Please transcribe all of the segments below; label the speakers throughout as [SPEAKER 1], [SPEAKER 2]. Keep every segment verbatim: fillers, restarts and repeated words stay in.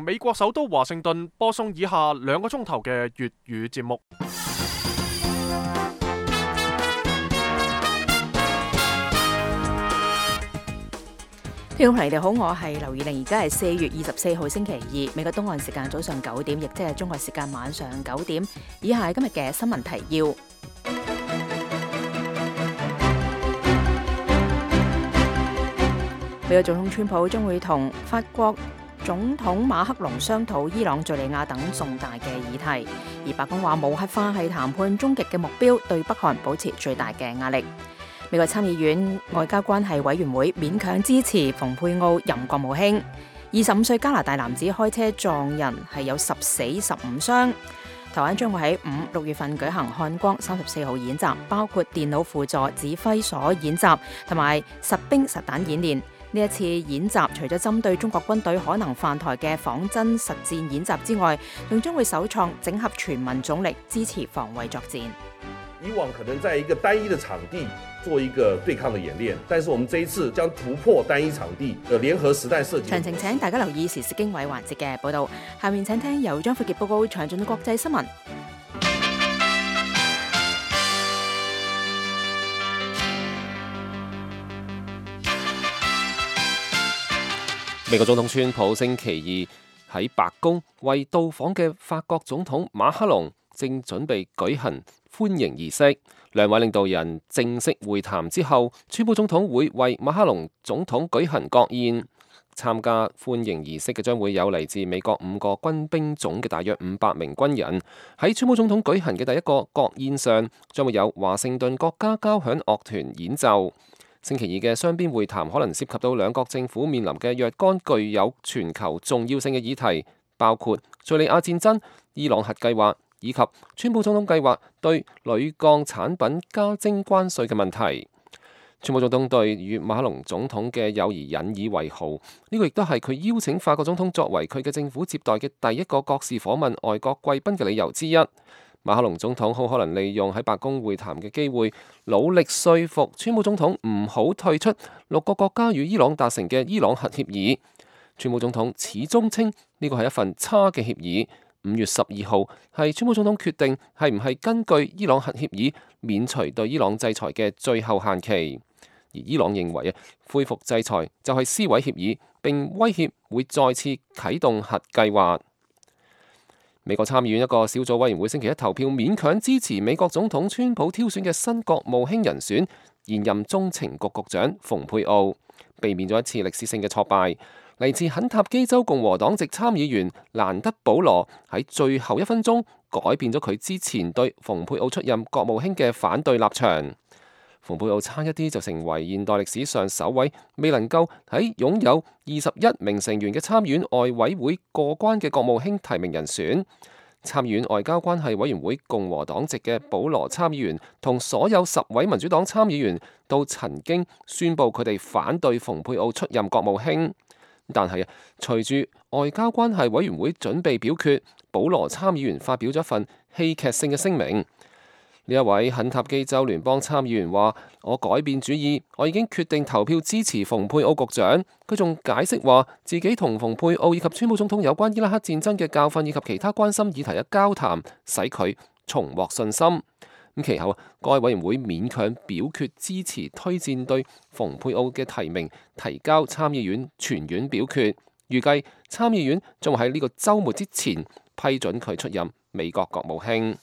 [SPEAKER 1] 美國首都華盛頓播送以下兩個鐘頭嘅粵語節目。
[SPEAKER 2] 聽眾朋友你哋好，我係劉以玲，而家係四月二十四號星期二，美國東岸時間早上九點，亦即係中國時間晚上九點。以下係今日嘅新聞提要。美國總統川普將會同法國總統馬克龍商討伊朗、敘利亞等重大嘅議題，而白宮話無核化係談判終極嘅目標，對北韓保持最大嘅壓力。美國參議院外交關係委員會勉強支持蓬佩奧任國務卿。二十五歲加拿大男子開車撞人，係有十死十五傷。台灣將會喺五六月份舉行漢光三十四號演習，包括電腦輔助指揮所演習同埋實兵實彈演練。呢一次演習除咗針對中國軍隊可能犯台嘅仿真實戰演習之外，仲將會首創整合全民總力支持防衛作戰。
[SPEAKER 3] 以往可能在一個單一的場地做一個對抗的演練，但是我們這一次將突破單一場地的聯合實彈射擊。
[SPEAKER 2] 詳情請大家留意時事經緯環節嘅報導。下面請聽由張富傑報告詳盡嘅國際新聞。
[SPEAKER 4] 美國總統川普星期二喺白宮為到訪嘅法國總統馬克龍正準備舉行歡迎儀式。兩位領導人正式會談之後，川普總統會為馬克龍總統舉行國宴。參加歡迎儀式嘅將會有嚟自美國五個軍兵種嘅大約五百名軍人。喺川普總統舉行嘅第一個國宴上，將會有華盛頓國家交響樂團演奏。星期二嘅雙邊會談可能涉及到兩國政府面臨嘅若干具有全球重要性嘅議題，包括敘利亞戰爭、伊朗核計劃以及川普總統計劃對鋁鋼產品加徵關稅嘅問題。川普總統對與馬克龍總統嘅友誼引以為豪，呢個亦都係佢邀請法國總統作為佢嘅政府接待嘅第一個國事訪問外國貴賓嘅理由之一。馬克龍總統好可能利用喺白宮會談嘅機會，努力說服川普總統唔好退出六個國家與伊朗達成嘅伊朗核協議。川普總統始終稱呢個係一份差嘅協議。五月十二號係川普總統決定係唔係根據伊朗核協議免除對伊朗制裁嘅最後限期。而伊朗認為啊，恢復制裁就係撕毀協議，並威脅會再次啟動核計劃。美國參議院一個小組委員會星期一投票勉強支持美國總統川普挑選嘅新國務卿人選，現任中情局局長蓬佩奧，避免咗一次歷史性嘅挫敗。嚟自肯塔基州共和黨籍參議員蘭德保羅喺最後一分鐘改變咗佢之前對蓬佩奧出任國務卿嘅反對立場。蓬佩奧差一啲就成為現代歷史上首位未能夠喺擁有二十一名成員嘅參議院外委會過關嘅國務卿提名人選。參議院外交關係委員會共和黨籍嘅保羅參議員同所有十位民主黨參議員都曾經宣布佢哋反對蓬佩奧出任國務卿。但係啊，隨住外交關係委員會準備表決，保羅參議員發表咗一份戲劇性嘅聲明。呢一位肯塔基州聯邦參議員話：我改變主意，我已經決定投票支持蓬佩奧局長。佢仲解釋話，自己同蓬佩奧以及川普總統有關伊拉克戰爭嘅教訓以及其他關心議題嘅交談，使佢重獲信心。咁其後啊，該委員會勉強表決支持推薦對蓬佩奧嘅提名，提交參議院全院表決。預計參議院將會喺呢個週末之前批准佢出任美國國務卿。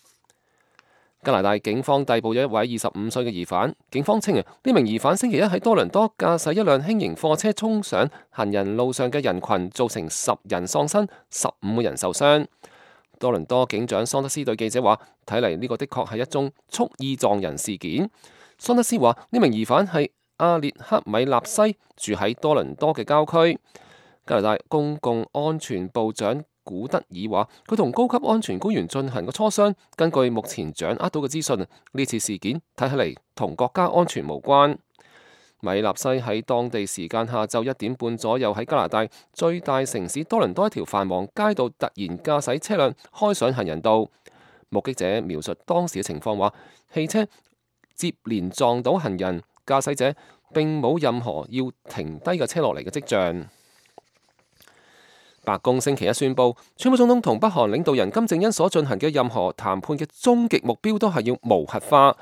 [SPEAKER 4] 加拿大警方逮捕咗一位二十五歲嘅疑犯。警方稱啊，呢名疑犯星期一喺多倫多駕駛一輛輕型貨車衝上行人路上嘅人群，造成十人喪生，十五個人受傷。多倫多警長桑德斯對記者話：睇嚟呢個的確係一宗蓄意撞人事件。桑德斯話：呢名疑犯係阿列克米納西，住喺多倫多嘅郊區。加拿大公共安全部長古德爾話：佢同高級安全官員進行過磋商，根據目前掌握到嘅資訊，呢次事件睇起嚟同國家安全無關。米納西喺當地時間下晝一點半左右喺加拿大最大城市多倫多一條繁忙街道突然駕駛車輛開上行人道。目擊者描述當時嘅情況話：汽車接連撞到行人，駕駛者並冇任何要停低嘅車落嚟嘅跡象。白宮星期一宣布，川普總統同北韓領導人金正恩所進行嘅任何談判嘅終極目標都係要無核化。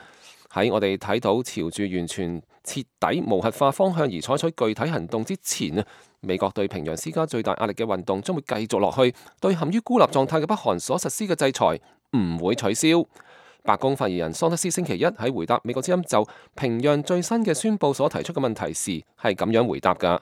[SPEAKER 4] 喺我哋睇到朝住完全徹底無核化方向而採取具體行動之前啊，美國對平壤施加最大壓力嘅運動將會繼續落去，對陷於孤立狀態嘅北韓所實施嘅制裁唔會取消。白宮發言人桑德斯星期一喺回答美國之音就平壤最新嘅宣佈所提出嘅問題時係咁樣回答㗎。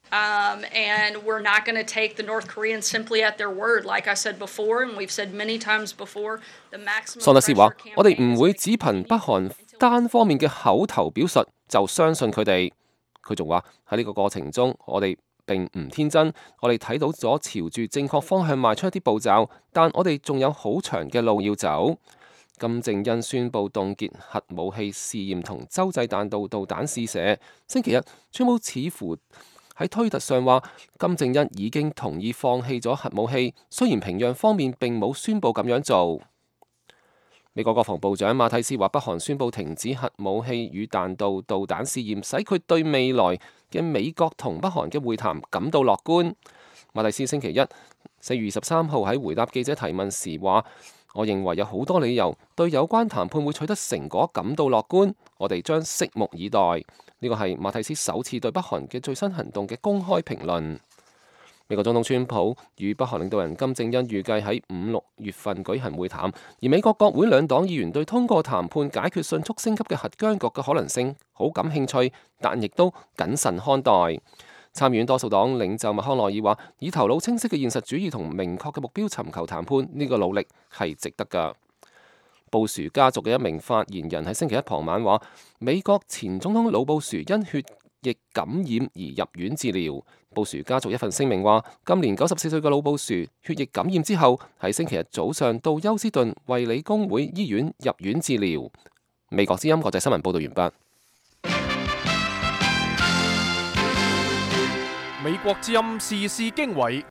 [SPEAKER 5] Um, and we're not going to take the North Koreans simply at their word. Like I said before, and we've said many times before, the maximum
[SPEAKER 4] 桑德斯話：我哋唔會
[SPEAKER 5] pressure
[SPEAKER 4] 只憑北韓單方面嘅口頭表述就相信佢哋。佢仲話喺呢個過程中，我哋並唔天真，我哋睇到咗朝住正確方向邁出一啲步驟，但我哋仲有好長嘅路要走。金正恩宣布凍結核武器試驗同洲際彈道導彈試射。星期日，川普似乎喺推特上話，金正恩已經同意放棄咗核武器，雖然平壤方面並冇宣布咁樣做。美國國防部長馬蒂斯話，北韓宣布停止核武器與彈道導彈試驗，使佢對未來嘅美國同北韓嘅會談感到樂觀。馬蒂斯星期一四月二十三號喺回答記者提問時話：我認為有好多理由對有關談判會取得成果感到樂觀，我哋將拭目以待。呢個係馬蒂斯首次對北韓嘅最新行動嘅公開評論。美國總統川普與北韓領導人金正恩預計喺五六月份舉行會談，而美國國會兩黨議員對通過談判解決迅速升級嘅核僵局嘅可能性好感興趣，但亦都謹慎看待。參議院多數黨領袖麥康奈爾話：以頭腦清晰嘅現實主義同明確嘅目標尋求談判，呢個努力係值得㗎。布殊家族嘅一名發言人喺星期一傍晚話：美國前總統老布殊因血液感染而入院治療。布殊家族一份聲明話：今年九十四歲嘅老布殊血液感染之後，喺星期日早上到休斯頓衛理公會醫院入院治療。美國之音國際新聞報道完畢。
[SPEAKER 1] 美國之音時事經緯，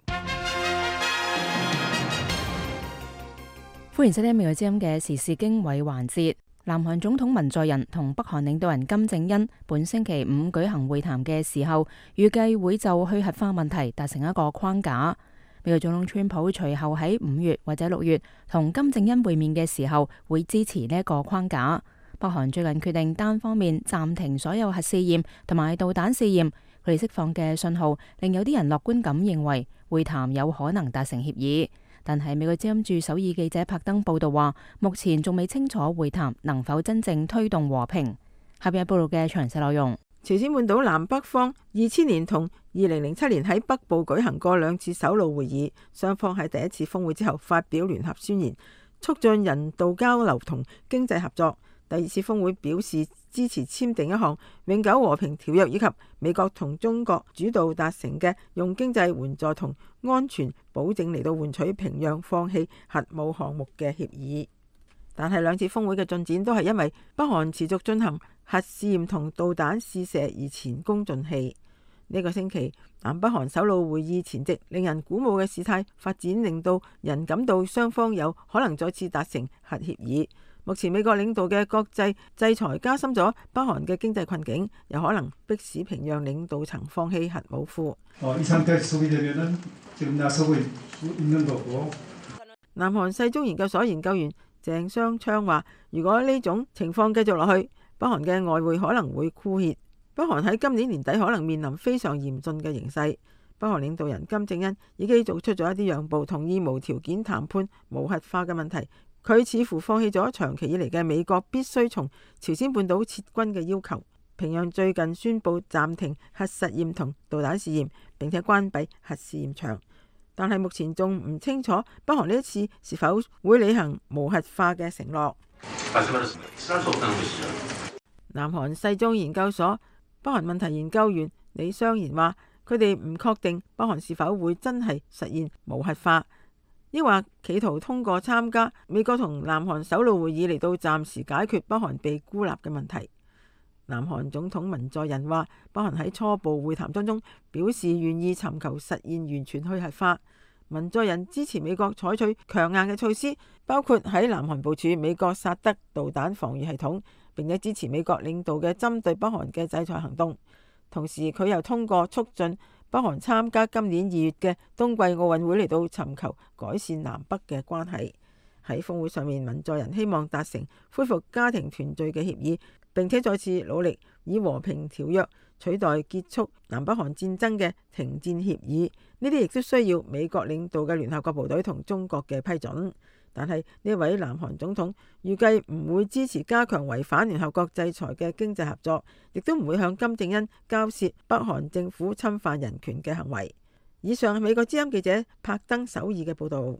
[SPEAKER 2] 歡迎收聽美國之音嘅時事經緯環節。南韓總統文在寅同北韓領導人金正恩本星期五舉行會談嘅時候，預計會就去核化問題達成一個框架。美國總統川普隨後喺五月或者六月同金正恩會面嘅時候，會支持呢一個框架。北韓最近決定單方面暫停所有核試驗同埋導彈試驗，佢哋釋放嘅信號令有啲人樂觀咁認為會談有可能達成協議。但係美國之音駐首爾記者柏登報道話，目前仲未清楚會談能否真正推動和平。下邊係報道嘅詳細內容。
[SPEAKER 6] 朝鮮半島南北方二千年同二零零七年喺北部舉行過兩次首腦會議，雙方喺第一次峰會之後發表聯合宣言，促進人道交流同經濟合作。第二次峰會表示支持簽訂一項永久和平條約，以及美國同中國主導達成嘅用經濟援助同安全保證嚟到換取平壤放棄核武項目嘅協議。但係兩次峰會嘅進展都係因為北韓持續進行核試驗同導彈試射而前功盡棄。呢、這個星期南北韓首腦會議前夕，令人鼓舞嘅事態發展，令到人感到雙方有可能再次達成核協議。目前美國領導嘅國際制裁加深咗北韓嘅經濟困境，有可能迫使平壤領導層放棄核武庫。南韓世宗研究所研究員鄭雙昌話：如果呢種情況繼續落去，北韓嘅外匯可能會枯竭。北韓喺今年年底可能面臨非常嚴峻嘅形勢。北韓領導人金正恩已經做出咗一啲讓步，同意無條件談判無核化嘅問題。佢似乎放棄咗長期以嚟嘅美國必須從朝鮮半島撤軍嘅要求。平壤最近宣布暫停核實驗同導彈試驗，並且關閉核試驗場，但係目前仲唔清楚北韓呢一次是否會履行無核化嘅承諾。南韓世宗研究所北韓問題研究員李相賢話：佢哋唔確定北韓是否會真係實現無核化，抑或企圖通過參加美國同南韓首腦會議嚟到暫時解決北韓被孤立嘅問題。南韓總統文在寅話：北韓喺初步會談當中表示願意尋求實現完全去核化。文在寅支持美國採取強硬嘅措施，包括喺南韓部署美國薩德導彈防禦系統，並且支持美國領導嘅針對北韓嘅制裁行動。同時，佢又通過促進北韓參加今年二月嘅冬季奧運會嚟到尋求改善南北嘅關係。喺峰會上面，文在寅希望達成恢復家庭團聚嘅協議，並且再次努力以和平條約取代結束南北韓戰爭嘅停戰協議。呢啲亦都需要美國領導嘅聯合國部隊同中國嘅批准。但係呢位南韓總統預計唔會支持加強違反聯合國制裁嘅經濟合作，亦都唔會向金正恩交涉北韓政府侵犯人權嘅行為。以上係美國之音記者柏登首爾嘅報導。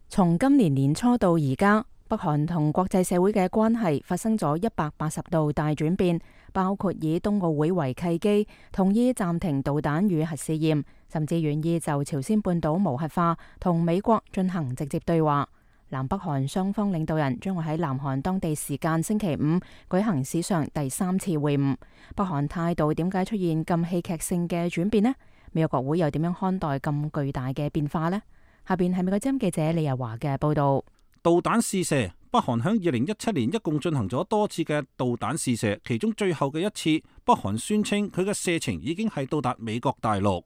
[SPEAKER 2] 從今年年初到而家，北韓同國際社會嘅關係發生咗一百八十度大轉變，包括以冬奧會為契機，同意暫停導彈與核試驗，甚至願意就朝鮮半島無核化同美國進行直接對話。南北韓雙方領導人將會喺南韓當地時間星期五舉行史上第三次會晤。北韓態度點解出現咁戲劇性嘅轉變呢？美國國會又點樣看待咁巨大嘅變化呢？下邊係美國之音記者李日華嘅報道。
[SPEAKER 7] 導彈試射，北韓響二零一七年一共進行咗多次嘅導彈試射，其中最後嘅一次，北韓宣稱佢嘅射程已經係到達美國大陸。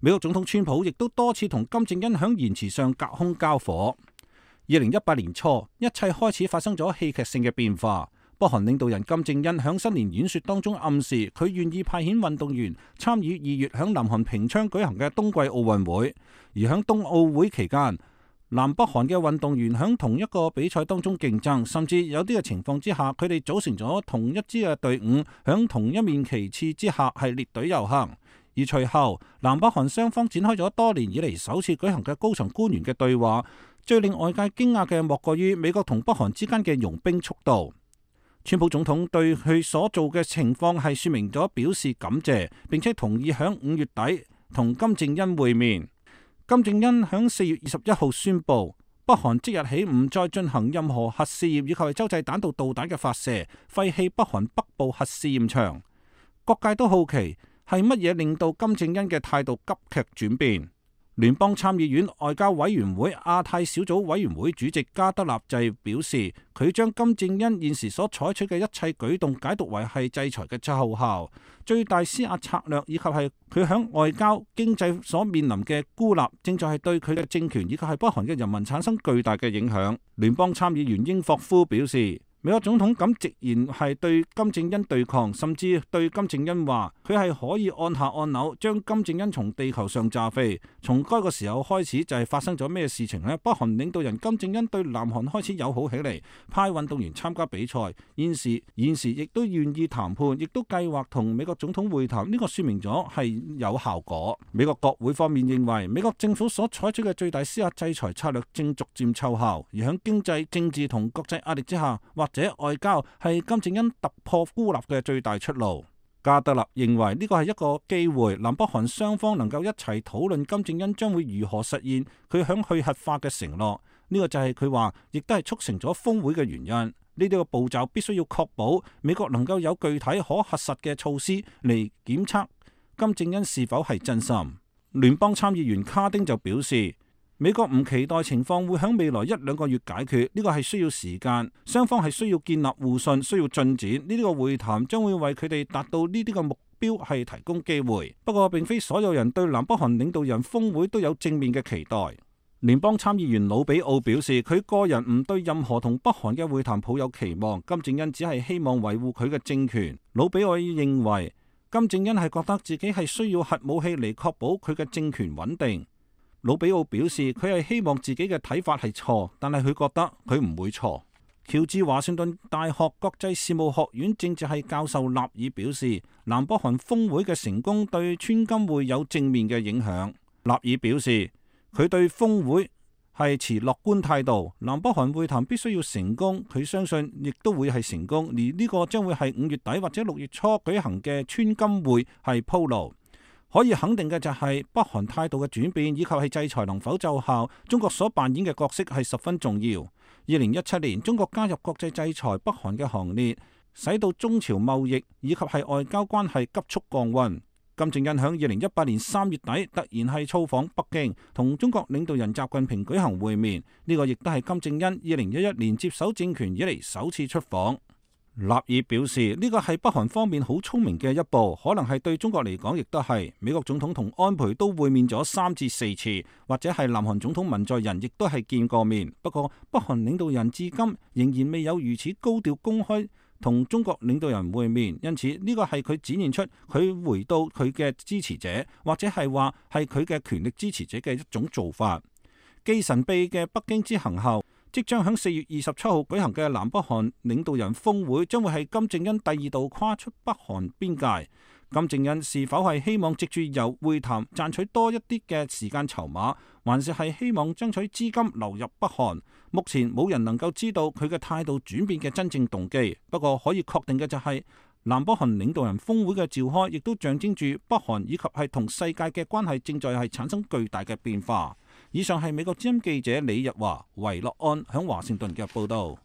[SPEAKER 7] 美國總統川普亦都多次同金正恩響言辭上隔空交火。二零一八年初，一切開始發生咗戲劇性嘅變化。北韓領導人金正恩響新年演說當中暗示，佢願意派遣運動員參與二月響南韓平昌舉行嘅冬季奧運會。而響冬奧會期間，南北韓嘅運動員響同一個比賽當中競爭，甚至有啲嘅情況之下，佢哋組成咗同一支嘅隊伍，響同一面旗幟之下係列隊遊行。而隨後，南北韓雙方展開咗多年以嚟首次舉行嘅高層官員嘅對話。最令外界驚訝嘅莫過於美國同北韓之間嘅融冰速度。川普總統對佢所做嘅情況係說明咗表示感謝，並且同意響五月底同金正恩會面。金正恩響四月二十一號宣布，北韓即日起唔再進行任何核試驗以及係洲際彈道導彈嘅發射，廢棄北韓北部核試驗場。各界都好奇係乜嘢令到金正恩嘅態度急劇轉變。聯邦參議院外交委員會亞太小組委員會主席加德納就表示，佢將金正恩現時所採取嘅一切舉動解讀為係制裁嘅奏效，最大施壓策略以及係佢響外交經濟所面臨嘅孤立，正在係對佢嘅政權以及係北韓嘅人民產生巨大嘅影響。聯邦參議員英霍夫表示，美國總統咁直言係對金正恩對抗，甚至對金正恩話佢係可以按下按鈕將金正恩從地球上炸飛。從該個時候開始就係發生咗咩事情呢？北韓領導人金正恩對南韓開始友好起嚟，派運動員參加比賽，現時現時亦都願意談判，亦都計劃同美國總統會談。呢個說明咗係有效果。美國國會方面認為，美國政府所採取嘅最大施壓制裁策略正逐漸奏效，而喺經濟、政治同國際壓力之下，或者外交係金正恩突破孤立嘅最大出路。加德納認為呢個係一個機會，南北韓雙方能夠一齊討論金正恩將會如何實現佢響去核化嘅承諾。呢個就係佢話，亦都係促成咗峰會嘅原因。呢啲個步驟必須要確保美國能夠有具體可核實嘅措施嚟檢測金正恩是否係真心。聯邦參議員卡丁就表示，美國唔期待情況會喺未來一兩個月解決，呢個係需要時間，雙方係需要建立互信，需要進展。呢啲個會談將會為佢哋達到呢啲個目標係提供機會。不過並非所有人對南北韓領導人峰會都有正面嘅期待。聯邦參議員魯比奧表示，佢個人唔對任何同北韓嘅會談抱有期望，金正恩只係希望維護佢嘅政權。魯比奧認為金正恩係覺得自己係需要核武器嚟確保佢嘅政權穩定。魯比奧表示，佢係希望自己嘅睇法係錯，但係佢覺得佢唔會錯。喬治華盛頓大學國際事務學院政治系教授納爾表示，南北韓峰會嘅成功對川金會有正面嘅影響。納爾表示，佢對峰會係持樂觀態度，南北韓會談必須要成功，佢相信亦都會係成功，而呢個將會係五月底或者六月初舉行嘅川金會係鋪路。可以肯定嘅就係北韓態度嘅轉變，以及係制裁能否奏效，中國所扮演嘅角色係十分重要。二零一七年，中國加入國際制裁北韓嘅行列，使到中朝貿易以及係外交關係急速降溫。金正恩響二零一八年三月底突然係造訪北京，同中國領導人習近平舉行會面，呢、這個亦都係金正恩二零一一年接手政權以嚟首次出訪。納爾表示呢個係北韓方面好聰明嘅一步，可能係對中國嚟講亦都係。美國總統同安倍都會面咗三至四次，或者係南韓總統文在寅亦都係見過面。不過北韓領導人至今仍然未有如此高調公開同中國領導人會面，因此呢個係佢展現出佢回到佢嘅支持者，或者係話係佢嘅權力支持者嘅一種做法。繼神秘嘅北京之行後，即將喺四月二十七號舉行嘅南北韓領導人峰會，將會係金正恩第二度跨出北韓邊界。金正恩是否係希望藉住由會談賺取多一啲嘅時間籌碼，還是係希望爭取資金流入北韓？目前冇人能夠知道佢嘅態度轉變嘅真正動機。不過可以確定嘅就係、是、南北韓領導人峰會嘅召開，亦都象徵住北韓以及係同世界嘅關係正在係產生巨大嘅變化。以上係美國之音記者李日華、維樂安響華盛頓嘅報道。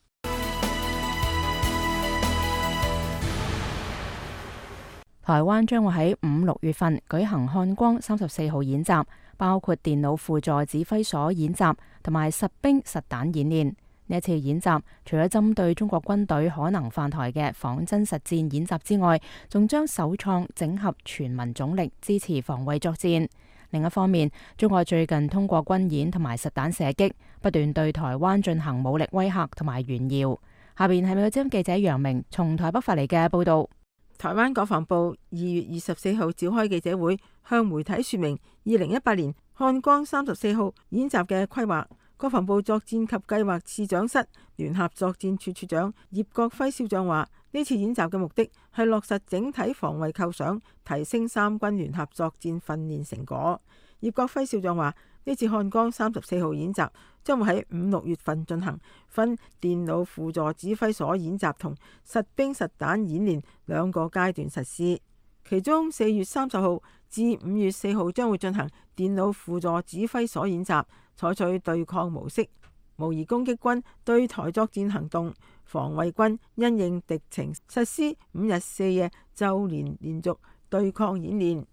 [SPEAKER 2] 台灣將會喺五六月份舉行漢光三十四號演習，包括電腦輔助指揮所演習同埋實兵實彈演練。呢一次演習除咗針對中國軍隊可能犯台嘅仿真實戰演習之外，仲將首創整合全民總力支持防衛作戰。另一方面，中國最近通過軍演同埋實彈射擊，不斷對台灣進行武力威嚇同埋炫耀。下邊係美國之音記者楊明從台北發嚟嘅報道。
[SPEAKER 6] 台灣國防部二月二十四號召開記者會，向媒體說明二零一八年漢光三十四號演習嘅規劃。國防部作戰及計劃次長室聯合作戰處處長葉國輝少將話：呢次演習嘅目的係落實整體防衛構想，提升三軍聯合作戰訓練成果。葉國輝少將話：呢次漢光三十四號演習將會喺五六月份進行，分電腦輔助指揮所演習同實兵實彈演練兩個階段實施。其中四月三十號至五月四號將會進行電腦輔助指揮所演習，採取對抗模式，模擬攻擊軍對台作戰行動。防衛軍因應敵情，實施五日四夜週連連續對抗演練。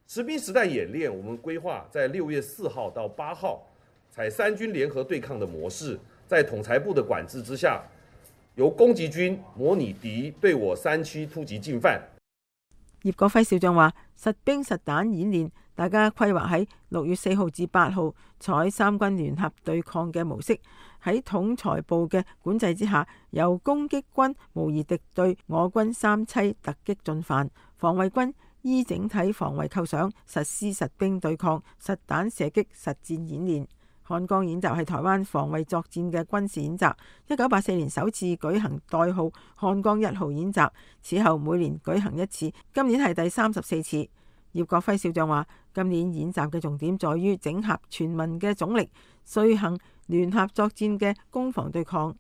[SPEAKER 3] 實兵實彈演練，我們規劃在六月四號到八號，採三軍聯合對抗的模式，在統裁部的管制之下，由攻擊軍模擬敵對我山區突擊進犯。
[SPEAKER 6] 葉國輝少將話：實兵實彈演練，大家規劃喺六月四號至八號，採三軍聯合對抗嘅模式，喺統裁部嘅管制之下，由攻擊軍模擬敵對我軍三棲突擊進犯，防衛軍依整體防衛構想實施實兵對抗、實彈射擊實戰演練。漢光演習係台灣防衛作戰嘅軍事演習，一九八四年首次舉行代號漢光一號演習，此後每年舉行一次，今年係第三十四次。葉國輝少將話：今年演習嘅重點在於整合全民嘅總力，遂行聯合作戰嘅攻防對抗。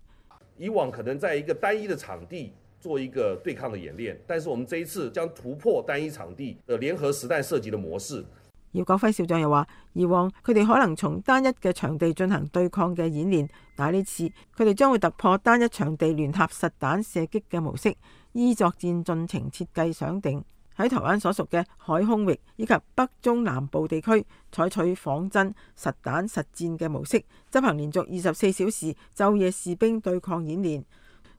[SPEAKER 3] 以往可能在一個單一的場地做一個對抗的演練，但是我們這一次將突破單一場地的聯合實彈射擊的模式。
[SPEAKER 6] 葉國輝少將又話：以往佢哋可能從單一嘅場地進行對抗嘅演練，但係呢次佢哋將會突破單一場地聯合實彈射擊嘅模式，依作戰進程設計想定，喺台灣所屬嘅海空域以及北中南部地區，採取仿真實彈實戰嘅模式，執行連續二十四小時晝夜士兵對抗演練。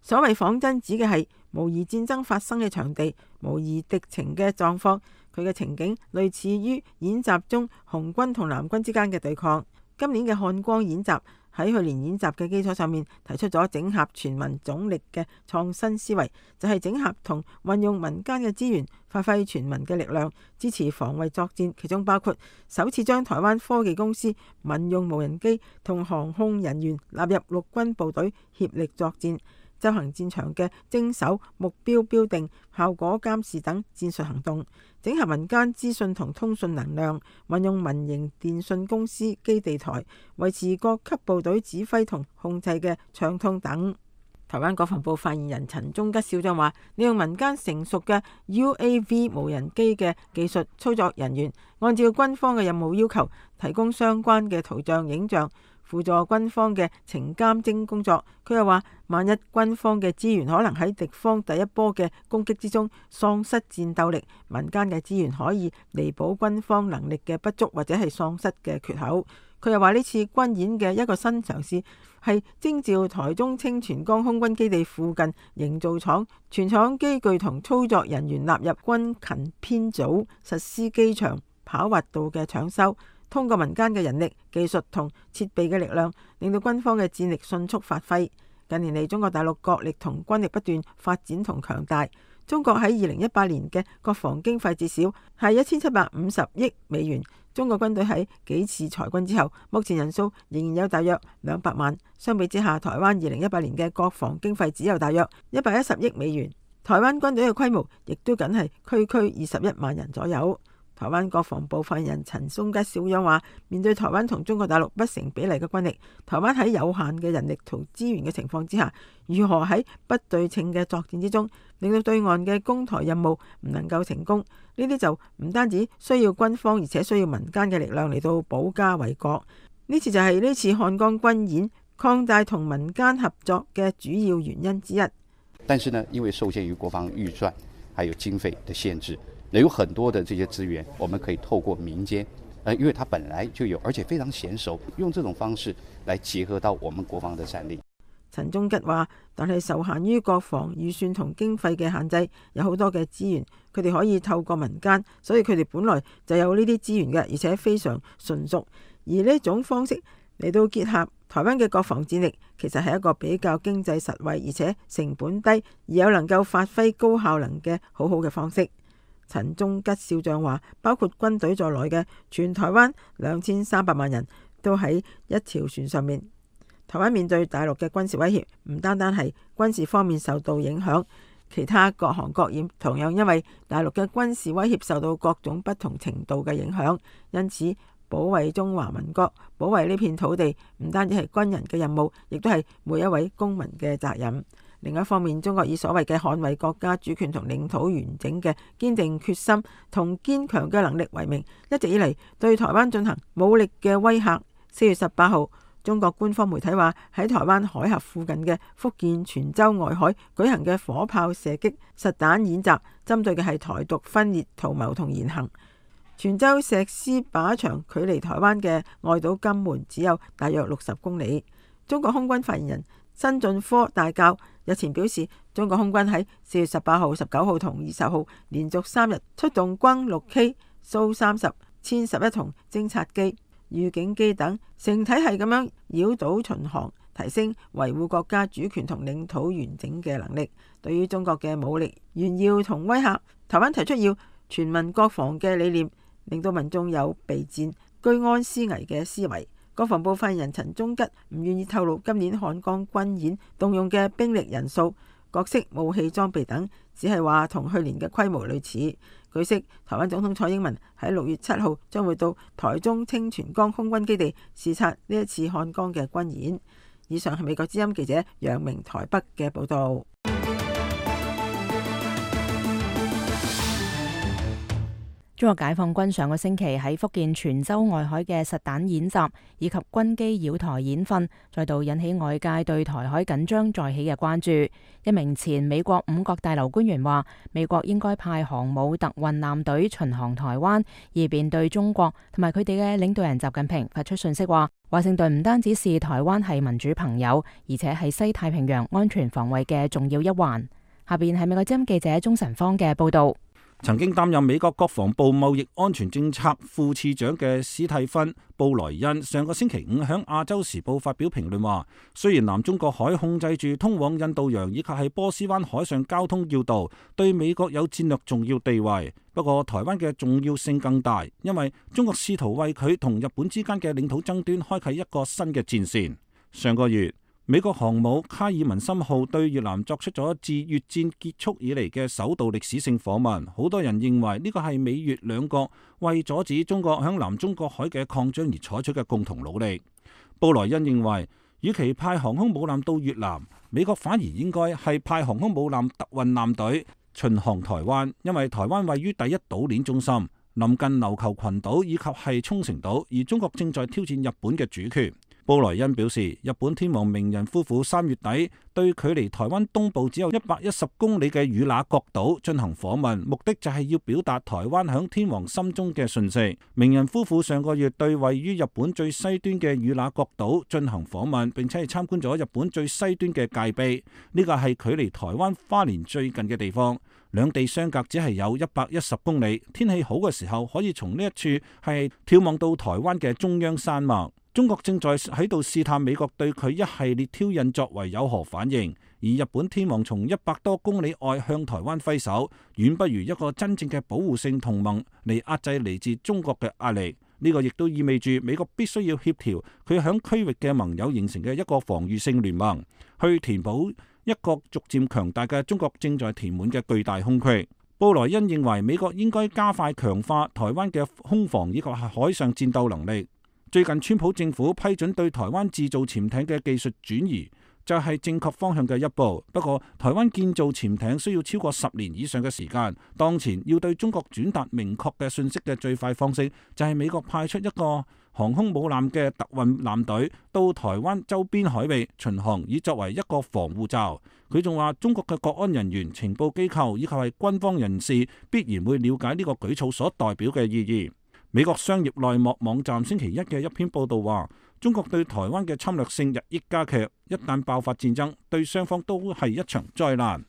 [SPEAKER 6] 所謂仿真指嘅係模擬戰爭發生嘅場地，模擬敵情嘅狀況，佢嘅情景類似於演習中紅軍同藍軍之間嘅對抗。今年嘅漢光演習喺去年演習嘅基礎上面提出咗整合全民總力嘅創新思維，就係、是、整合同運用民間嘅資源，發揮全民嘅力量，支持防衛作戰。其中包括首次將台灣科技公司民用無人機同航空人員納入陸軍部隊協力作戰，執行戰場嘅偵搜、目標標定、效果監視等戰術行動，整合民間資訊同通訊能量，運用民營電信公司基地台，維持各級部隊指揮同控制嘅暢通等。台灣國防部發言人陳忠吉少將話：利用民間成熟嘅 U A V 無人機嘅技術操作人員，按照軍方嘅任務要求，提供相關嘅圖像、影像，輔助軍方嘅情監偵工作。佢又話：萬一軍方嘅資源可能喺敵方第一波嘅攻擊之中喪失戰鬥力，民間嘅資源可以彌補軍方能力嘅不足或者係喪失嘅缺口。佢又話呢次軍演嘅一個新嘗試係徵召台中清泉崗空軍基地附近營造廠全廠機具同操作人員納入軍勤編組，實施機場跑滑道嘅搶修，通過民間嘅人力、技術同設備嘅力量，令到軍方嘅戰力迅速發揮。近年嚟，中國大陸國力同軍力不斷發展同強大。中國喺二零一八年嘅國防經費至少係一千七百五十億美元。中國軍隊喺幾次裁軍之後，目前人數仍然有大約兩百萬。相比之下，台灣二零一八年嘅國防經費只有大約一百一十億美元。台灣軍隊嘅規模亦都僅係區區二十一萬人左右。台灣國防部發言人陳松吉小楊話：面對台灣同中國大陸不成比例嘅軍力，台灣喺有限嘅人力同資源嘅情況之下，如何喺不對稱嘅作戰之中，令到對岸嘅攻台任務唔能夠成功？呢啲就唔單止需要軍方，而且需要民間嘅力量嚟到保家衛國。呢次就係呢次漢江軍演擴大同民間合作嘅主要原因之一。
[SPEAKER 8] 但是呢，因為受限於國防預算還有經費的限制，有很多的這些資源，我們可以透過民間，呃，因為它本來就有，而且非常嫻熟，用這種方式來結合到我們國防的戰力。
[SPEAKER 6] 陳忠吉話，但係受限於國防預算同經費嘅限制，有好多嘅資源，佢哋可以透過民間，所以佢哋本來就有呢啲資源嘅，而且非常純熟。而呢種方式嚟到結合台灣嘅國防戰力，其實係一個比較經濟實惠，而且成本低，而有能夠發揮高效能嘅好好嘅方式。陳忠吉少將話，包括軍隊在內嘅全台灣兩千三百萬人都喺一條船上面。台灣面對大陸嘅軍事威脅，唔單單係軍事方面受到影響，其他各行各業同樣因為大陸嘅軍事威脅受到各種不同程度嘅影響。因此，保衛中華民國、保衛呢片土地，唔單止係軍人嘅任務，亦都係每一位公民嘅責任。另一方面，中國以所謂嘅捍衛國家主權同領土完整嘅堅定決心同堅強嘅能力為名，一直以嚟對台灣進行武力嘅威嚇。四月十八號，中國官方媒體話喺台灣海峽附近嘅福建泉州外海舉行嘅火炮射擊實彈演習，針對嘅係台獨分裂圖謀同言行。泉州石獅靶場距離台灣嘅外島金門只有大約六十公里。中國空軍發言人辛進科大校日前表示，中國空軍喺四月十八號、十九號同二十號連續三日出動轟六 K、蘇三十、殲十一同偵察機、預警機等，成體系咁樣繞島巡航，提升維護國家主權同領土完整嘅能力。對於中國嘅武力炫耀同威嚇，台灣提出要全民國防嘅理念，令到民眾有備戰、居安思危嘅思維。國防部發言人陳忠吉唔願意透露今年漢江軍演動用嘅兵力人數、各式武器裝備等，只係話同去年嘅規模類似。據悉，台灣總統蔡英文喺六月七號將會到台中清泉崗空軍基地視察呢一次漢江嘅軍演。以上係美國之音記者楊明台北嘅報道。
[SPEAKER 2] 中國解放軍上個星期喺福建泉州外海嘅實彈演習以及軍機繞台演訓，再度引起外界對台海緊張再起嘅關注。一名前美國五角大樓官員話，美國應該派航母特運艦隊巡航台灣，以便對中國同埋佢哋嘅領導人習近平發出訊息，話華盛頓唔單止視台灣係民主朋友，而且係西太平洋安全防衛嘅重要一環。下邊係美國之音記者鍾晨芳嘅報道。
[SPEAKER 7] 曾經擔任美國國防部貿易安全政策副次長嘅史蒂芬布萊恩上個星期五喺亞洲時報發表評論話，雖然南中國海控制住通往印度洋以及係波斯灣海上交通要道，對美國有戰略重要地位，不過台灣嘅重要性更大，因為中國試圖為佢同日本之間嘅領土爭端開啟一個新嘅戰線。上個月，美國航母卡爾文森號對越南作出咗自越戰結束以嚟嘅首度歷史性訪問，好多人認為呢個係美越兩國為阻止中國響南中國海嘅擴張而採取嘅共同努力。布萊恩認為，與其派航空母艦到越南，美國反而應該係派航空母艦特運艦隊巡航台灣，因為台灣位於第一島鏈中心，臨近琉球群島以及係沖繩島，而中國正在挑戰日本嘅主權。布萊恩表示，日本天皇明仁夫婦三月底對距離台灣東部只有一百一十公里嘅與那國島進行訪問，目的就係要表達台灣響天皇心中嘅訊息。明仁夫婦上個月對位於日本最西端嘅與那國島進行訪問，並且係參觀咗日本最西端嘅界碑，呢個係距離台灣花蓮最近嘅地方。兩地相隔只係有一百一十公里，天氣好嘅時候可以從呢一處係眺望到台灣嘅中央山脈。中國正在喺度試探美國對佢一系列挑釁作為有何反應，而日本天皇從一百多公里外向台灣揮手，遠不如一個真正嘅保護性同盟嚟壓制嚟自中國嘅壓力。呢個亦都意味住美國必須要協調佢響區域嘅盟友形成嘅一個防禦性聯盟，去填補一個逐漸強大嘅中國正在填滿嘅巨大空隙。布萊恩認為美國應該加快強化台灣嘅空防以及係海上戰鬥能力。最近川普政府批准對台灣製造潛艇嘅技術轉移，就係正確方向嘅一步。不過，台灣建造潛艇需要超過十年以上嘅時間。當前要對中國轉達明確嘅訊息嘅最快方式，就係美國派出一個航空母艦嘅特運艦隊到台灣周邊海域巡航，以作為一個防護罩。佢仲話，中國嘅國安人員、情報機構以及係軍方人士必然會了解呢個舉措所代表嘅意義。美國商業內幕網站星期一嘅一篇報道話，中國對台灣嘅侵略性日益加劇，一旦爆發戰爭，對雙方都係一場災難。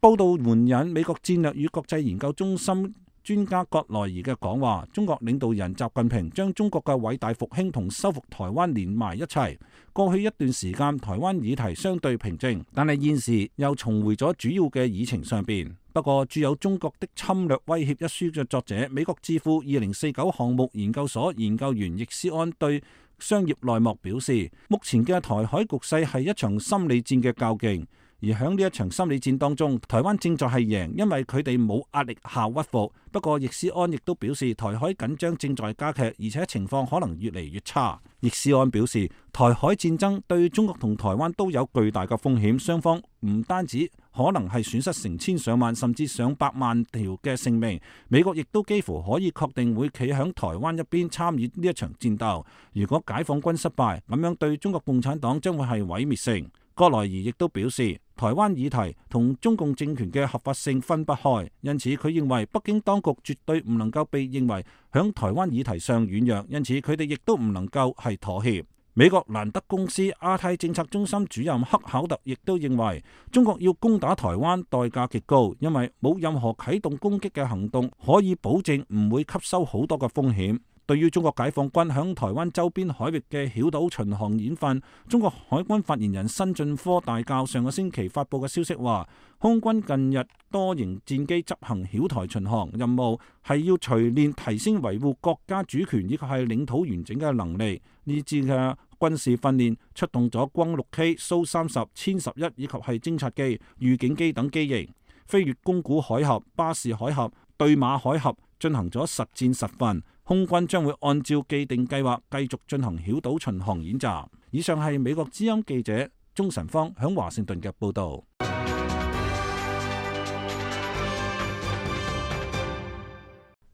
[SPEAKER 7] 報道援引美國戰略與國際研究中心專家葛萊儀嘅講話，中國領導人習近平將中國嘅偉大復興同收復台灣連埋一齊。過去一段時間，台灣議題相對平靜，但係現時又重回咗主要嘅議程上邊。不過，著有《中國的侵略威脅》一書嘅作者、美國智庫二零四九項目研究所研究員易思安對商業內幕表示，目前嘅台海局勢係一場心理戰嘅較勁。而喺呢一場心理戰當中，台灣正在係贏，因為佢哋冇壓力下屈服。不過，易思安亦都表示，台海緊張正在加劇，而且情況可能越嚟越差。易思安表示，台海戰爭對中國同台灣都有巨大嘅風險，雙方唔單止可能係損失成千上萬甚至上百萬條嘅性命，美國亦都幾乎可以確定會企喺台灣一邊參與呢一場戰鬥。如果解放軍失敗，咁樣對中國共產黨將會係毀滅性。葛萊儀亦都表示，台灣議題同中共政權嘅合法性分不開，因此佢認為北京當局絕對唔能夠被認為響台灣議題上軟弱，因此佢哋亦都唔能夠係妥協。美國蘭德公司亞太政策中心主任克考特亦都認為，中國要攻打台灣代價極高，因為冇任何啟動攻擊嘅行動可以保證唔會吸收好多嘅風險。對於中國解放軍響台灣周邊海域嘅曉島巡航演訓，中國海軍發言人辛進科大校上個星期發佈嘅消息話，空軍近日多型戰機執行曉台巡航任務，係要錘煉提升維護國家主權以及係領土完整嘅能力。呢次嘅軍事訓練出動咗轟六 K、蘇三十、殲十一以及係偵察機、預警機等機型，飛越宮古海峽、巴士海峽、對馬海峽，進行咗實戰實訓。空軍將會按照既定計劃繼續進行曉島巡航演習。以上係美國之音記者鍾晨芳響華盛頓嘅報導。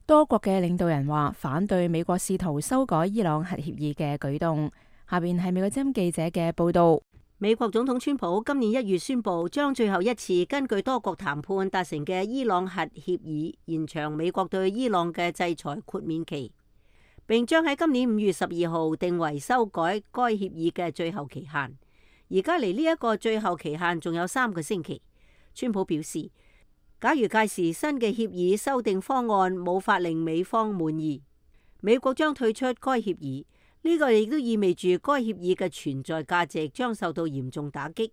[SPEAKER 2] 多國嘅領導人話反對美國試圖修改伊朗核協議嘅舉動。下邊係美國之音記者嘅報導。
[SPEAKER 9] 美國總統川普今年一月宣布，將最後一次根據多國談判達成嘅伊朗核協議延長美國對伊朗嘅制裁豁免期，並將喺今年五月十二號定為修改該協議嘅最後期限。而家離呢一個最後期限仲有三個星期。川普表示，假如屆時新嘅協議修訂方案無法令美方滿意，美國將退出該協議。呢個亦都意味住該協議嘅存在價值將受到嚴重打擊。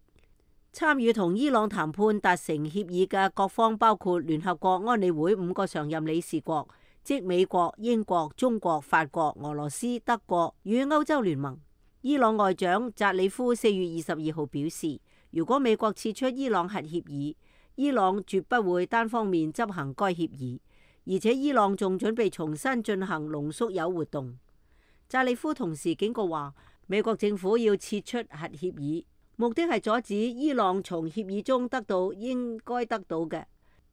[SPEAKER 9] 參與同伊朗談判達成協議嘅各方包括聯合國安理會五個常任理事國，即美國、英國、中國、法國、俄羅斯、德國與歐洲聯盟。伊朗外長扎里夫四月二十二號表示，如果美國撤出伊朗核協議，伊朗絕不會單方面執行該協議，而且伊朗仲準備重新進行濃縮鈾活動。扎里夫同時警告話，美國政府要撤出核協議，目的係阻止伊朗從協議中得到應該得到嘅，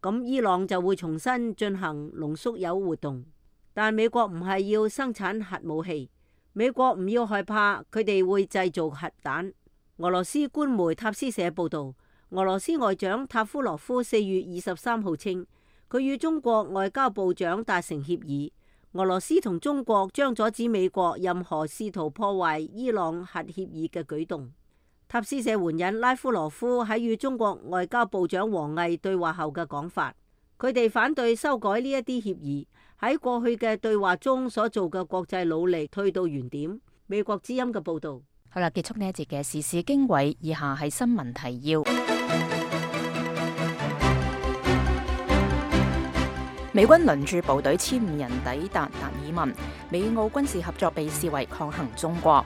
[SPEAKER 9] 咁伊朗就會重新進行濃縮鈾活動。但美國唔係要生產核武器，美國唔要害怕，佢哋會製造核彈。俄羅斯官媒塔斯社報道，俄羅斯外長塔夫羅夫四月二十三號稱，佢與中國外交部長達成協議，俄羅斯同中國將阻止美國任何試圖破壞伊朗核協議嘅舉動。塔斯社援引拉夫羅夫喺與中國外交部長王毅對話後嘅講法，佢哋反對修改呢一啲協議，喺過去嘅對話中所做嘅國際努力退到原點。美國之音嘅報導。
[SPEAKER 2] 好啦，結束呢一節嘅時事經緯，以下係新聞提要。美軍輪駐部隊千五人抵達達爾文，美澳軍事合作被視為抗衡中國。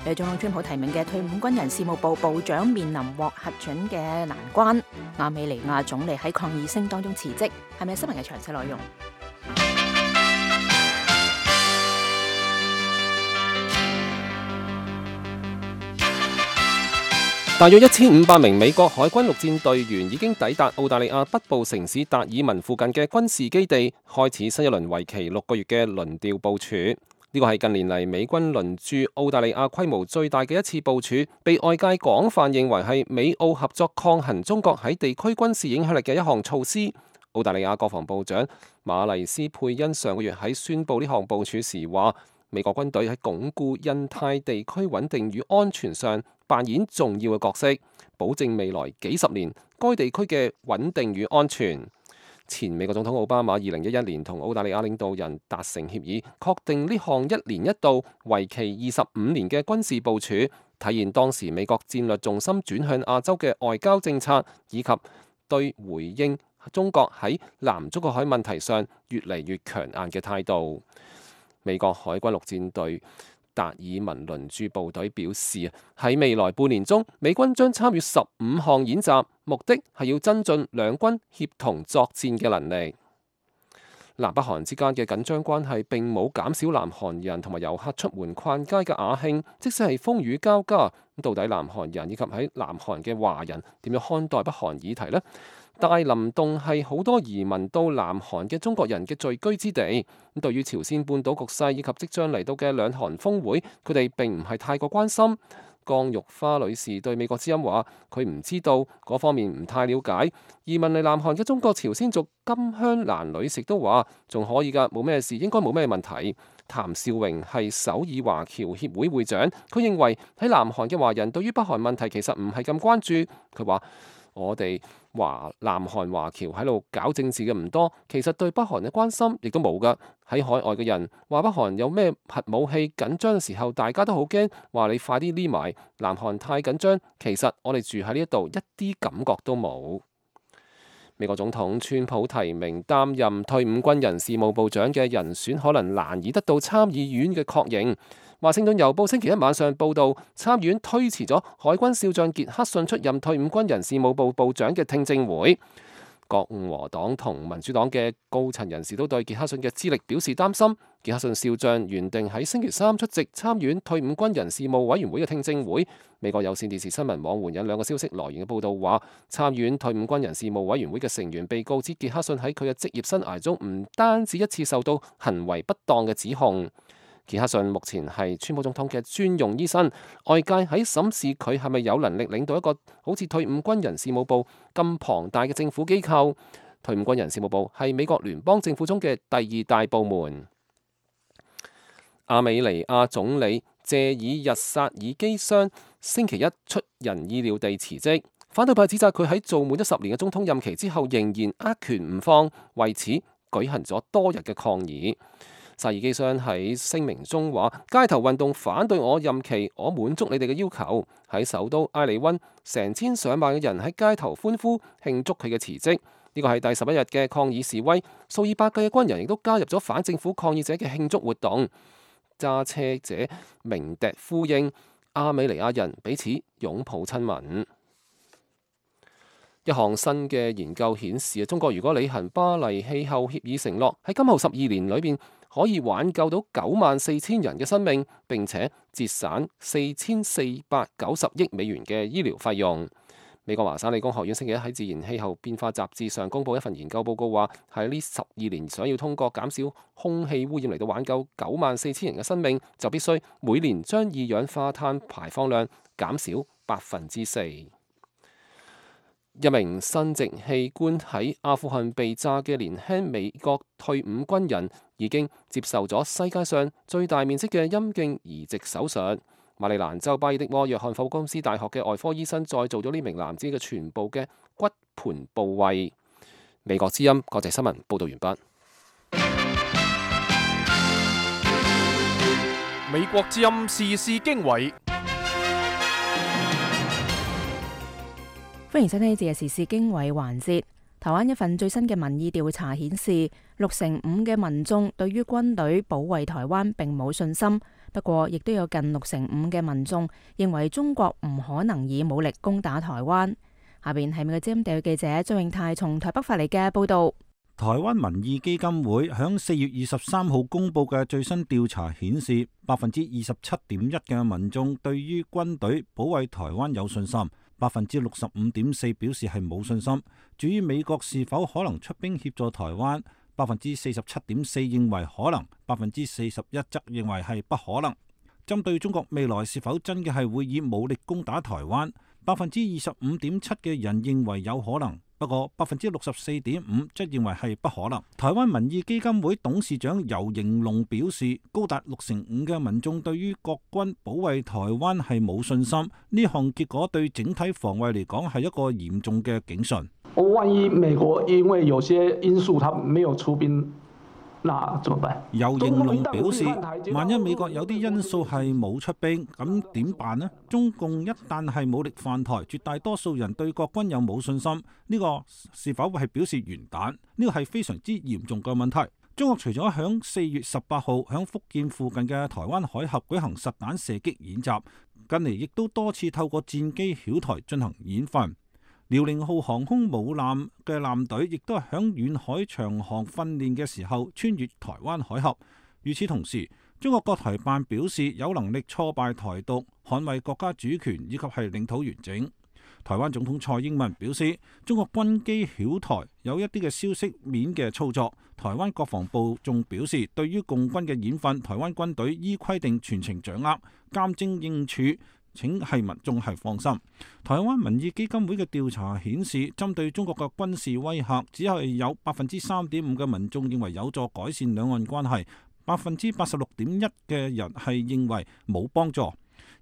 [SPEAKER 2] 由總統川普提名嘅退伍軍人事務部部長面臨獲核准嘅難關。亞美尼亞總理喺抗議聲當中辭職，係咪新聞嘅詳細內容？
[SPEAKER 4] 大約一千五百名美國海軍陸戰隊員已經抵達澳大利亞北部城市達爾文附近嘅軍事基地，開始新一輪為期六個月嘅輪調部署。呢個係近年嚟美軍輪駐澳大利亞規模最大嘅一次部署，被外界廣泛認為係美澳合作抗衡中國喺地區軍事影響力嘅一項措施。澳大利亞國防部長馬麗斯佩恩上個月喺宣布呢項部署時話，美國軍隊喺鞏固印太地區穩定與安全上扮演重要嘅角色，保證未來幾十年該地區嘅穩定與安全。前美國總統奧巴馬二零一一年同澳大利亞領導人達成協議，確定呢項一年一度、為期二十五年嘅軍事部署，體現當時美國戰略重心轉向亞洲嘅外交政策，以及對回應中國喺南中國海問題上越嚟越強硬嘅態度。美國海軍陸戰隊達爾文輪駐部隊表示，喺未來半年中，美軍將參與十五項演習，目的係要增進兩軍協同作戰嘅能力。南北韓之間嘅緊張關係並冇減少南韓人同埋遊客出門逛街嘅雅興，即使係風雨交加，咁到底南韓人以及喺南韓嘅華人點樣看待北韓議題呢？大林洞係好多移民到南韓嘅中國人嘅聚居之地。咁對於朝鮮半島局勢以及即將嚟到嘅兩韓峰會，佢哋並唔係太過關心。江玉花女士對美國之音話：佢唔知道嗰方面，唔太了解。移民嚟南韓嘅中國朝鮮族金香蘭女士都話：仲可以㗎，冇咩事，應該冇咩問題。譚兆榮係首爾華僑協會會長，佢認為喺南韓嘅華人對於北韓問題其實唔係咁關注。佢話：我哋華南韓華僑喺度搞政治嘅唔多，其實對北韓嘅關心亦都冇㗎。喺海外嘅人話北韓有咩核武器緊張嘅時候，大家都好驚，話你快啲匿埋。南韓太緊張，其實我哋住喺呢一度一啲感覺都冇。美國總統川普提名擔任退伍軍人事務部長嘅人選，可能難以得到參議院嘅確認。華盛頓郵報星期一晚上報道，參議院推遲咗海軍少將傑克遜出任退伍軍人事務部部長嘅聽證會。共和黨同民主黨嘅高層人士都對傑克遜嘅資歷表示擔心。傑克遜少將原定喺星期三出席參議院退伍軍人事務委員會嘅聽證會。美國有線電視新聞網援引兩個消息來源嘅報道話，參議院退伍軍人事務委員會嘅成員被告知傑克遜喺佢嘅職業生涯中唔單止一次受到行為不當嘅指控。傑克遜目前係川普總統嘅專用醫生，外界喺審視佢係咪有能力領導一個好似退伍軍人事務部咁龐大嘅政府機構。退伍軍人事務部係美國聯邦政府中嘅第二大部門。亞美尼亞總理謝爾日薩爾基相星期一出人意料地辭職，反對派指責佢喺做滿咗十年嘅總統任期之後仍然握拳唔放，為此舉行咗多日嘅抗議。薩爾基相喺聲明中話：街頭運動反對我任期，我滿足你哋嘅要求。喺首都埃里溫，成千上萬嘅人喺街頭歡呼慶祝佢嘅辭職。呢個係第十一日嘅抗議示威，數以百計嘅軍人亦都加入咗反政府抗議者嘅慶祝活動。揸車者鳴笛呼應，亞美尼亞人彼此擁抱親吻。一項新嘅研究顯示，中國如果履行巴黎氣候協議承諾，喺今後十二年裏邊可以挽救到九萬四千人嘅生命，並且節省四千四百九十億美元嘅醫療費用。美國華沙理工學院星期一喺《自然氣候變化雜誌》上公佈一份研究報告，話喺呢十二年想要通過減少空氣污染嚟到挽救九萬四千人嘅生命，就必須每年將二氧化碳排放量減少百分之四。一名生殖器官喺阿富汗被炸嘅年輕美國退伍軍人已經接受咗世界上最大面積嘅陰莖移植手術。馬里蘭州巴爾的摩約翰霍普金斯大學嘅外科醫生再做咗呢名男子嘅全部嘅骨盆部位。美國之音國際新聞報道完畢。
[SPEAKER 1] 美國之音時事經緯，
[SPEAKER 2] 歡迎收聽呢節嘅時事經緯環節。台灣一份最新嘅民意調查顯示，六成五嘅民眾對於軍隊保衛台灣並冇信心。不過，亦都有近六成五嘅民眾認為中國唔可能以武力攻打台灣。下邊係美國之音地記者張永泰從台北發嚟嘅報道。
[SPEAKER 7] 台灣民意基金會響四月二十三號公布嘅最新調查顯示，百分之二十七點一嘅民眾對於軍隊保衛台灣有信心，百分之六十五點四表示係冇信心。至於美國是否可能出兵協助台灣，百分之四十七點四認為可能，百分之四十一則認為係不可能。針對中國未來是否真嘅係會以武力攻打台灣，百分之二十五點七嘅人認為有可能，不過百分之六十四點五則認為係不可能。台灣民意基金會董事長游盈隆表示，高達六成五嘅民眾對於國軍保衛台灣係冇信心，呢項結果對整體防衛嚟講係一個嚴重嘅警訊。
[SPEAKER 10] 萬一美國因為有些因素，他沒有出兵，那怎麼辦？
[SPEAKER 7] 游盈隆表示，萬一美國有啲因素係冇出兵，咁點辦呢？中共一旦係武力犯台，絕大多數人對國軍有冇信心，呢個是否係表示完蛋？呢個係非常之嚴重嘅問題。中國除咗響四月十八號響福建附近嘅台灣海峽舉行實彈射擊演習，近嚟亦都多次透過戰機曉台進行演訓。遼寧號航空母艦嘅艦隊亦都係響遠海長航訓練嘅時候穿越台灣海峽。與此同時，中國國台辦表示有能力挫敗台獨，捍衛國家主權以及係領土完整。台灣總統蔡英文表示，中國軍機曉台有一啲嘅消息面嘅操作。台灣國防部仲表示，對於共軍嘅演訓，台灣軍隊依規定全程掌握，監偵應處，請係民眾係放心。台灣民意基金會嘅調查顯示，針對中國嘅軍事威嚇，只係有百分之三點五嘅民眾認為有助改善兩岸關係，百分之八十六點一嘅人係認為冇幫助。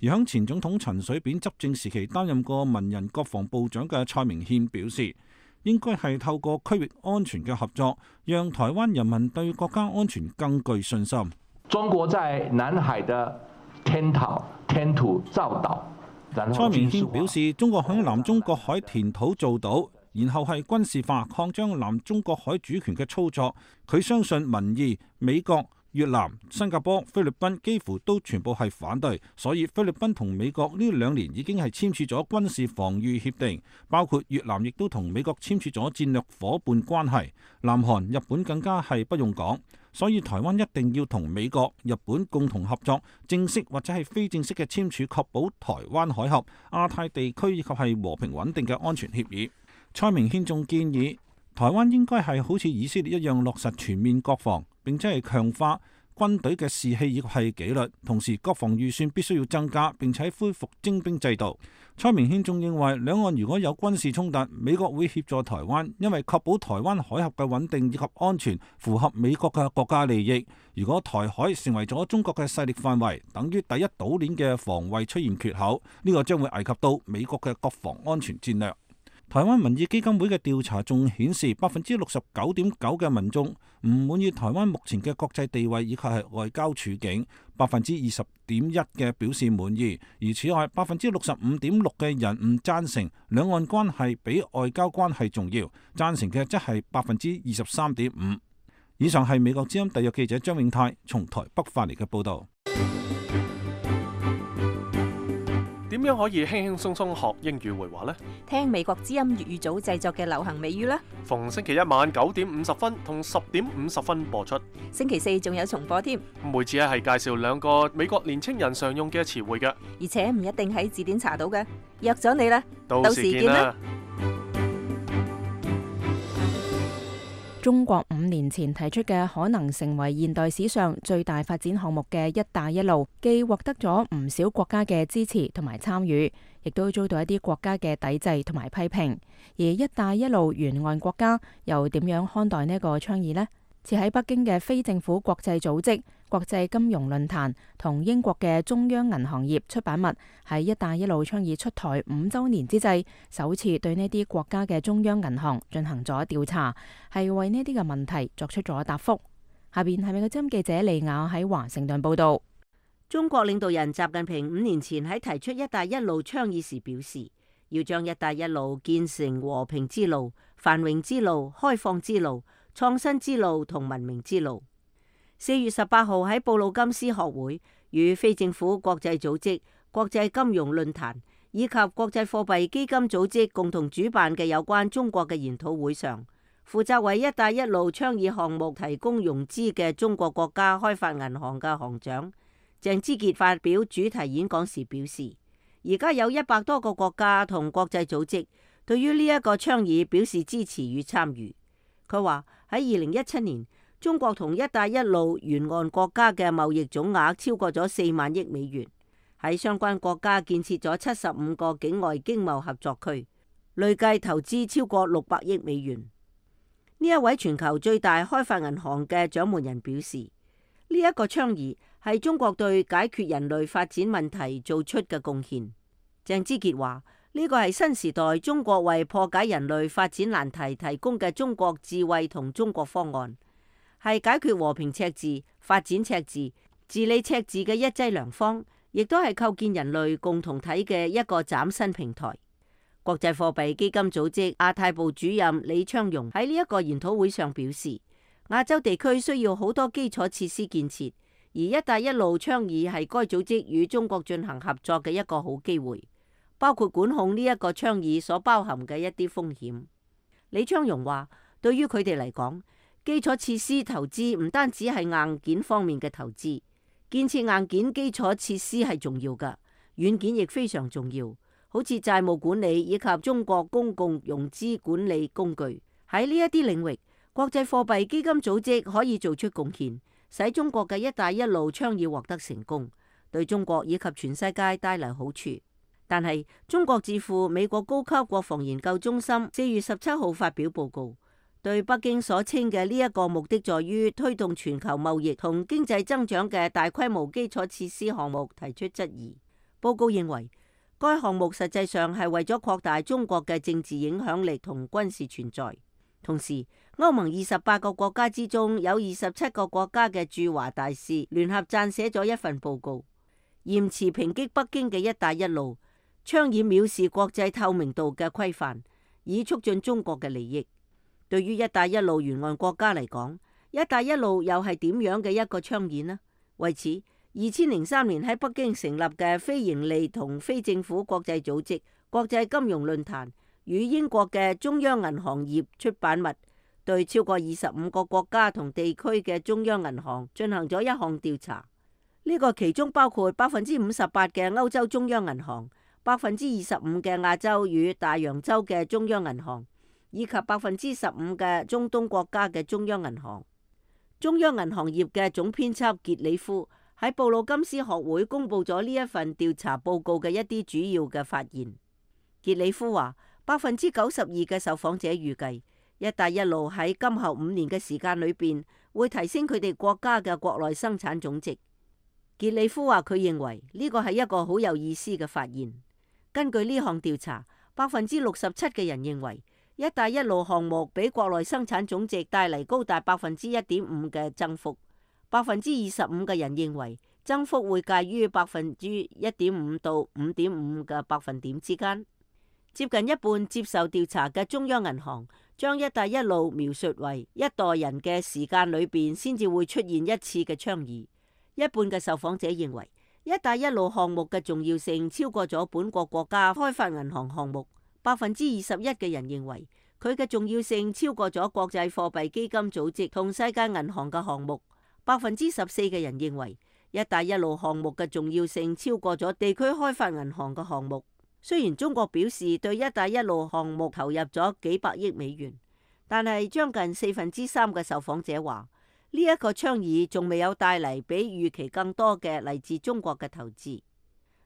[SPEAKER 7] 而響前總統陳水扁執政時期擔任過文人國防部長嘅蔡明憲表示，應該係透過區域安全嘅合作，讓台灣人民對國家安全更具信心。
[SPEAKER 10] 中國在南海的填土填土造島。
[SPEAKER 7] 蔡明憲表示，中國響南中國海填土造島，然後係軍事化擴張南中國海主權嘅操作。佢相信民意、美國、越南、新加坡、菲律賓幾乎都全部係反對，所以菲律賓同美國呢兩年已經係簽署咗軍事防禦協定，包括越南亦都同美國簽署咗戰略夥伴關係，南韓、日本更加係不用講。所以台灣一定要同美國、日本共同合作，正式或者係非正式嘅簽署，確保台灣海峽、亞太地區以及係和平穩定嘅安全協議。蔡明憲仲建議，台灣應該係好似以色列一樣落實全面國防，並且係強化軍隊嘅士氣以及係紀律，同時國防預算必須要增加，並且恢復徵兵制度。蔡明憲仲認為，兩岸如果有軍事衝突，美國會協助台灣，因為確保台灣海峽嘅穩定以及安全符合美國嘅國家利益。如果台海成為咗中國嘅勢力範圍，等於第一島鏈嘅防衛出現缺口，呢個將會危及到美國嘅國防安全戰略。台灣民意基金會嘅調查仲顯示，百分之六十九點九嘅民眾唔滿意台灣目前嘅國際地位以及係外交處境，百分之二十點一嘅表示滿意。而此外，百分之六十五點六嘅人唔贊成兩岸關係比外交關係重要，贊成嘅則係百分之二十三點五。以上係美國之音特約記者張永泰從台北發嚟嘅報導。
[SPEAKER 1] 點樣可以輕輕鬆鬆學英語會話呢？
[SPEAKER 11] 聽美國之音粵語組製作嘅流行美語啦。
[SPEAKER 1] 逢星期一晚九點五十分同十點五十分播出。
[SPEAKER 11] 星期四仲有重播添。
[SPEAKER 1] 每次咧係介紹兩個美國年青人常用嘅詞彙嘅，
[SPEAKER 11] 而且唔一定喺字典查到嘅。約咗你啦，
[SPEAKER 1] 到時見啦。
[SPEAKER 2] 中國五年前提出嘅可能成為現代史上最大發展項目嘅一帶一路，既獲得咗唔少國家嘅支持同埋參與，亦都遭到一啲國家嘅抵制同埋批評。而一帶一路沿岸國家又點樣看待呢個倡議呢？設喺北京嘅非政府國際組織國際金融論壇同英國嘅中央銀行業出版物喺一帶一路倡議出台五週年之際，首次對呢啲國家嘅中央銀行進行咗調查，係為呢啲嘅問題作出咗答覆。下邊係美國之音記者利亞喺華盛頓報道。
[SPEAKER 9] 中國領導人習近平五年前喺提出一帶一路倡議時表示，要將一帶一路建成和平之路、繁榮之路、開放之路、創新之路同文明之路。四月十八號喺布魯金斯學會與非政府國際組織國際金融論壇以及國際貨幣基金組織共同主辦嘅有關中國嘅研討會上，負責為一帶一路倡議項目提供融資嘅中國國家開發銀行嘅行長鄭之傑發表主題演講時表示，而家有一百多個國家同國際組織對於呢一個倡議表示支持與參與。佢話喺二零一七年，中國同一帶一路沿岸國家嘅貿易總額超過咗四萬億美元，喺相關國家建設咗七十五個境外經貿合作區，累計投資超過六百億美元。呢一位全球最大開發銀行嘅掌門人表示，呢一個倡議係中國對解決人類發展問題做出嘅貢獻。鄭之傑話，呢個係新時代中國為破解人類發展難題提供嘅中國智慧同中國方案，係解決和平赤字、發展赤字、治理赤字嘅一劑良方，亦都係構建人類共同體嘅一個嶄新平台。國際貨幣基金組織亞太部主任李昌榮喺呢一個研討會上表示，亞洲地區需要好多基礎設施建設，而一帶一路倡議係該組織與中國進行合作嘅一個好機會，包括管控呢一個倡議所包含嘅一啲風險。李昌榮話，對於佢哋嚟講，基礎設施投資唔單止係硬件方面嘅投資，建設硬件基礎設施係重要㗎，軟件亦非常重要，好似債務管理以及中國公共融資管理工具。喺呢一啲領域，國際貨幣基金組織可以做出貢獻，使中國嘅一帶一路倡議獲得成功，對中國以及全世界帶來好處。但係中國智庫美國高級國防研究中心四月十七號發表報告，對北京所稱嘅呢一個目的在於推動全球貿易同經濟增長嘅大規模基礎設施項目提出質疑。報告認為，該項目實際上係為咗擴大中國嘅政治影響力同軍事存在。同時，歐盟二十八個國家之中有二十七個國家嘅駐華大使聯合撰寫咗一份報告，嚴詞抨擊北京嘅一帶一路倡議藐視國際透明度嘅規範，以促進中國嘅利益。對於一帶一路沿岸國家嚟講，一帶一路又係點樣嘅一個倡議呢？為此，二千零三年喺北京成立嘅非營利同非政府國際組織國際金融論壇與英國嘅中央銀行業出版物，對超過二十五個國家同地區嘅中央銀行進行咗一項調查。呢個其中包括百分之五十八嘅歐洲中央銀行、百分之二十五嘅亞洲與大洋洲嘅中央銀行，以及百分之十五嘅中東國家嘅中央銀行。中央銀行業嘅總編輯傑里夫喺布魯金斯學會公布咗呢一份調查報告嘅一啲主要嘅發現。傑里夫話，百分之九十二嘅受訪者預計，一帶一路喺今後五年嘅時間裏邊會提升佢哋國家嘅國內生產總值。傑里夫話，佢認為呢個係一個好有意思嘅發現。根據呢項調查，百分之六十七嘅人認為一帶一路項目俾國內生產總值帶嚟高達百分之一點五嘅增幅，百分之二十五嘅人認為增幅會介於百分之一點五到五點五嘅百分點之間。接近一半接受調查嘅中央銀行將一帶一路描述為一代人嘅時間裏邊先至會出現一次嘅倡議。一半嘅受訪者認為一帶一路項目嘅重要性超過咗本國國家開發銀行項目。百分之二十一嘅人認為佢嘅重要性超過咗國際貨幣基金組織同世界銀行嘅項目。百分之十四嘅人認為一帶一路項目嘅重要性超過咗地區開發銀行嘅項目。雖然中國表示對一帶一路項目投入咗幾百億美元，但係將近四分之三嘅受訪者話呢一個倡議仲未有帶嚟比預期更多嘅嚟自中國嘅投資。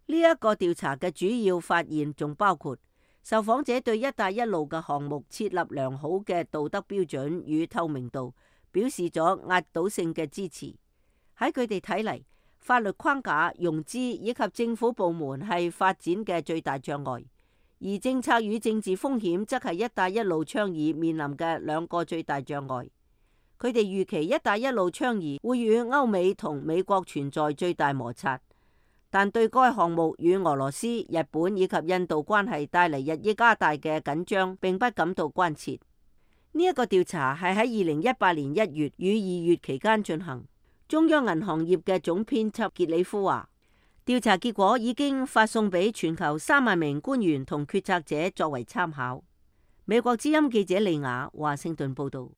[SPEAKER 9] 呢一個調查嘅主要發現仲包括受訪者對一帶一路嘅項目設立良好嘅道德標準與透明度表示咗壓倒性嘅支持。喺佢哋睇嚟，法律框架、融資以及政府部門係發展嘅最大障礙，而政策與政治風險則係一帶一路倡議面臨嘅兩個最大障礙。佢哋預期一帶一路倡議會與歐美同美國存在最大摩擦，但對該項目與俄羅斯、日本以及印度關係帶嚟日益加大嘅緊張並不感到關切。呢一個調查係喺二零一八年一月與二月期間進行。中央銀行業嘅總編輯傑里夫話，調查結果已經發送俾全球三萬名官員同決策者作為參考。美國之音記者利亞華盛頓報道。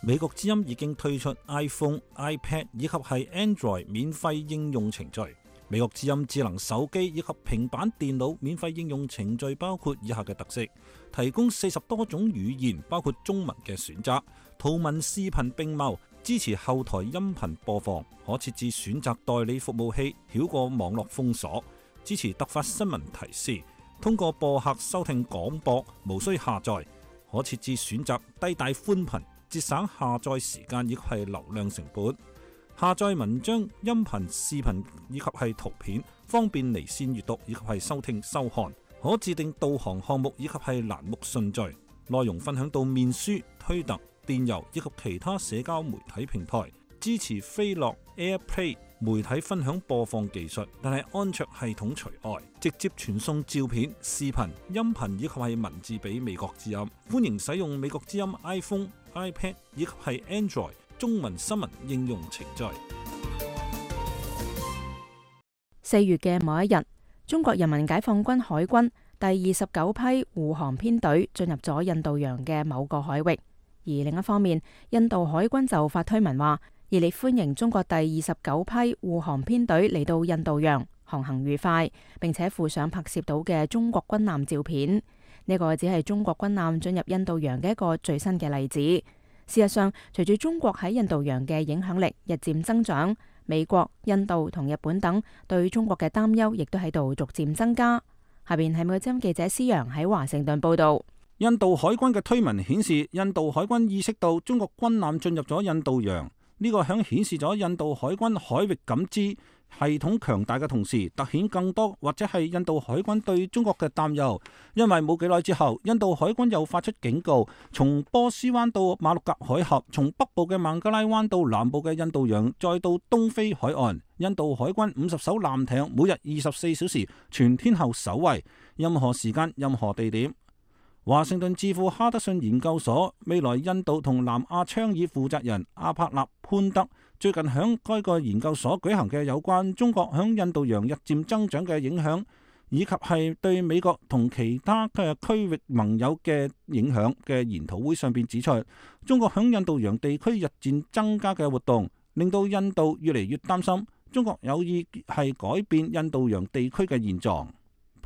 [SPEAKER 7] 美國之音已經推出 iPhone、iPad 以及係 Android 免費應用程序。美國之音智能手機以及平板電腦免費應用程序包括以下嘅特色：提供四十多種語言，包括中文嘅選擇，圖文視頻並茂，支持後台音頻播放，可設置選擇代理服務器，繞過網絡封鎖，支持突發新聞提示，通過播客收聽廣播，無需下載，可設置選擇低帶寬頻，節省下載時間以及係流量成本。下載文章、音頻、視頻以及係圖片，方便離線閱讀以及係收聽收看。可自定導航項目以及係欄目順序。內容分享到面書、推特、電郵以及其他社交媒體平台。支持飛樂 AirPlay 媒體分享播放技術，但係安卓系統除外。直接傳送照片、視頻、音頻以及係文字俾美國之音。歡迎使用美國之音 iPhone、iPad 以及係 Android中文新聞應用程序。
[SPEAKER 2] 四月嘅某一日，中國人民解放軍海軍第二十九批護航編隊進入咗印度洋嘅某個海域，而另一方面，印度海軍就發推文話熱烈歡迎中國第二十九批護航編隊嚟到印度洋，航行愉快，並且附上拍攝到嘅中國軍艦照片。呢個只係中國軍艦進入印度洋嘅一個最新嘅例子。事實上，隨住中國喺印度洋嘅影響力日漸增長，美國、印度同日本等對中國嘅擔憂亦都喺度逐漸增加。下邊係美國之音記者思陽喺華盛頓報道。
[SPEAKER 7] 印度海軍嘅推文顯示，印度海軍意識到中國軍艦進入咗印度洋，呢、這個響顯示咗印度海軍海域感知系統強大嘅同時，凸顯更多或者係印度海軍對中國嘅擔憂。因為冇幾耐之後，印度海軍又發出警告，從波斯灣到馬六甲海峽，從北部嘅孟加拉灣到南部嘅印度洋，再到東非海岸，印度海軍五十艘艦艇每日二十四小時全天候守衛，任何時間、任何地點。華盛頓智庫哈德遜研究所未來印度同南亞倡議負責人阿帕納潘德最近響該個研究所舉行嘅有關中國響印度洋日漸增長嘅影響，以及係對美國同其他嘅區域盟友嘅影響嘅研討會上邊指出，中國響印度洋地區日漸增加嘅活動，令到印度越嚟越擔心中國有意係改變印度洋地區嘅現狀。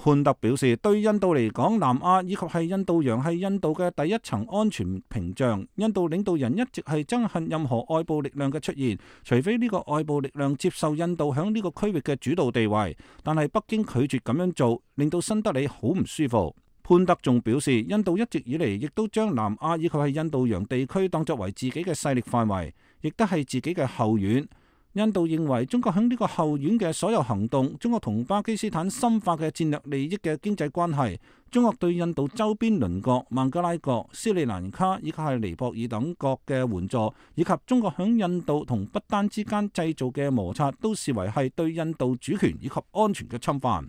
[SPEAKER 7] 潘特表示，對印度嚟講，南亞以及係印度洋係印度嘅第一層安全屏障。印度領導人一直係憎恨任何外部力量嘅出現，除非呢個外部力量接受印度響呢個區域嘅主導地位。但係北京拒絕咁樣做，令到新德里好唔舒服。潘特仲表示，印度一直以嚟亦都將南亞以及係印度洋地區當作為自己嘅勢力範圍，亦都係自己嘅後院。印度認為中國喺呢個後院嘅所有行動，中國同巴基斯坦深化嘅戰略利益嘅經濟關係，中國對印度周邊鄰國孟加拉國、斯里蘭卡以及係尼泊爾等國嘅援助，以及中國喺印度同不丹之間製造嘅摩擦，都視為係對印度主權以及安全嘅侵犯。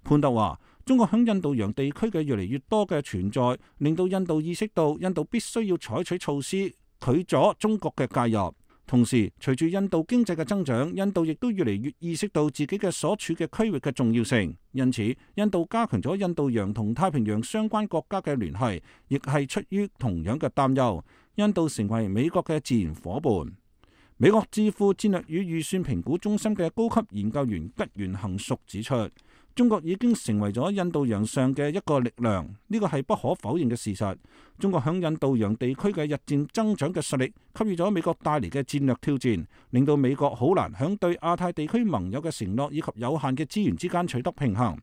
[SPEAKER 7] 潘特話，中國喺印度洋地區嘅越嚟越多嘅存在，令到印度意識到印度必須要採取措施拒阻中國嘅介入。同時，隨住印度經濟嘅增長，印度亦都越嚟越意識到自己嘅所處嘅區域嘅重要性。因此，印度加強咗印度洋同太平洋相關國家嘅聯繫，亦係出於同樣嘅擔憂。印度成為美國嘅自然夥伴。美國智庫戰略與預算評估中心嘅高級研究員吉原行淑指出，中國已經成為咗印度洋上嘅一個力量，呢個係不可否認嘅事實。中國響印度洋地區嘅日漸增長嘅實力，給予咗美國帶嚟嘅戰略挑戰，令到美國好難響對亞太地區盟友嘅承諾以及有限嘅資源之間取得平衡。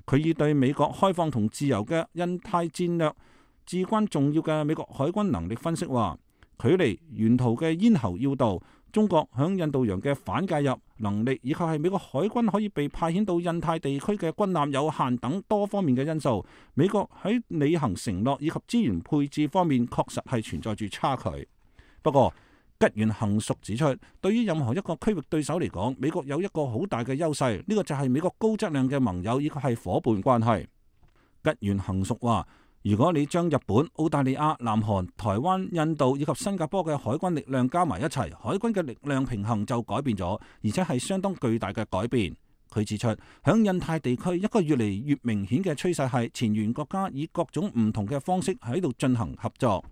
[SPEAKER 7] 佢以對美國開放同自由嘅印太戰略至關重要嘅美國海軍能力分析話，距離沿途嘅咽喉要道，中國響印度洋嘅反介入能力，以及係美國海軍可以被派遣到印太地區嘅軍艦有限等多方面嘅因素，美國喺履行承諾以及資源配置方面確實係存在住差距。不過，吉原行淑指出，對於任何一個區域對手嚟講，美國有一個好大嘅優勢，呢個就係美國高質量嘅盟友以及係夥伴關係。吉原行淑話，如果你將日本、澳大利亞、南韓、台灣、印度以及新加坡嘅海軍力量加埋一齊，海軍嘅力量平衡就改變咗，而且係相當巨大嘅改變。佢指出，響印太地區一個越嚟越明顯嘅趨勢係前沿國家以各種唔同嘅方式喺度進行合作。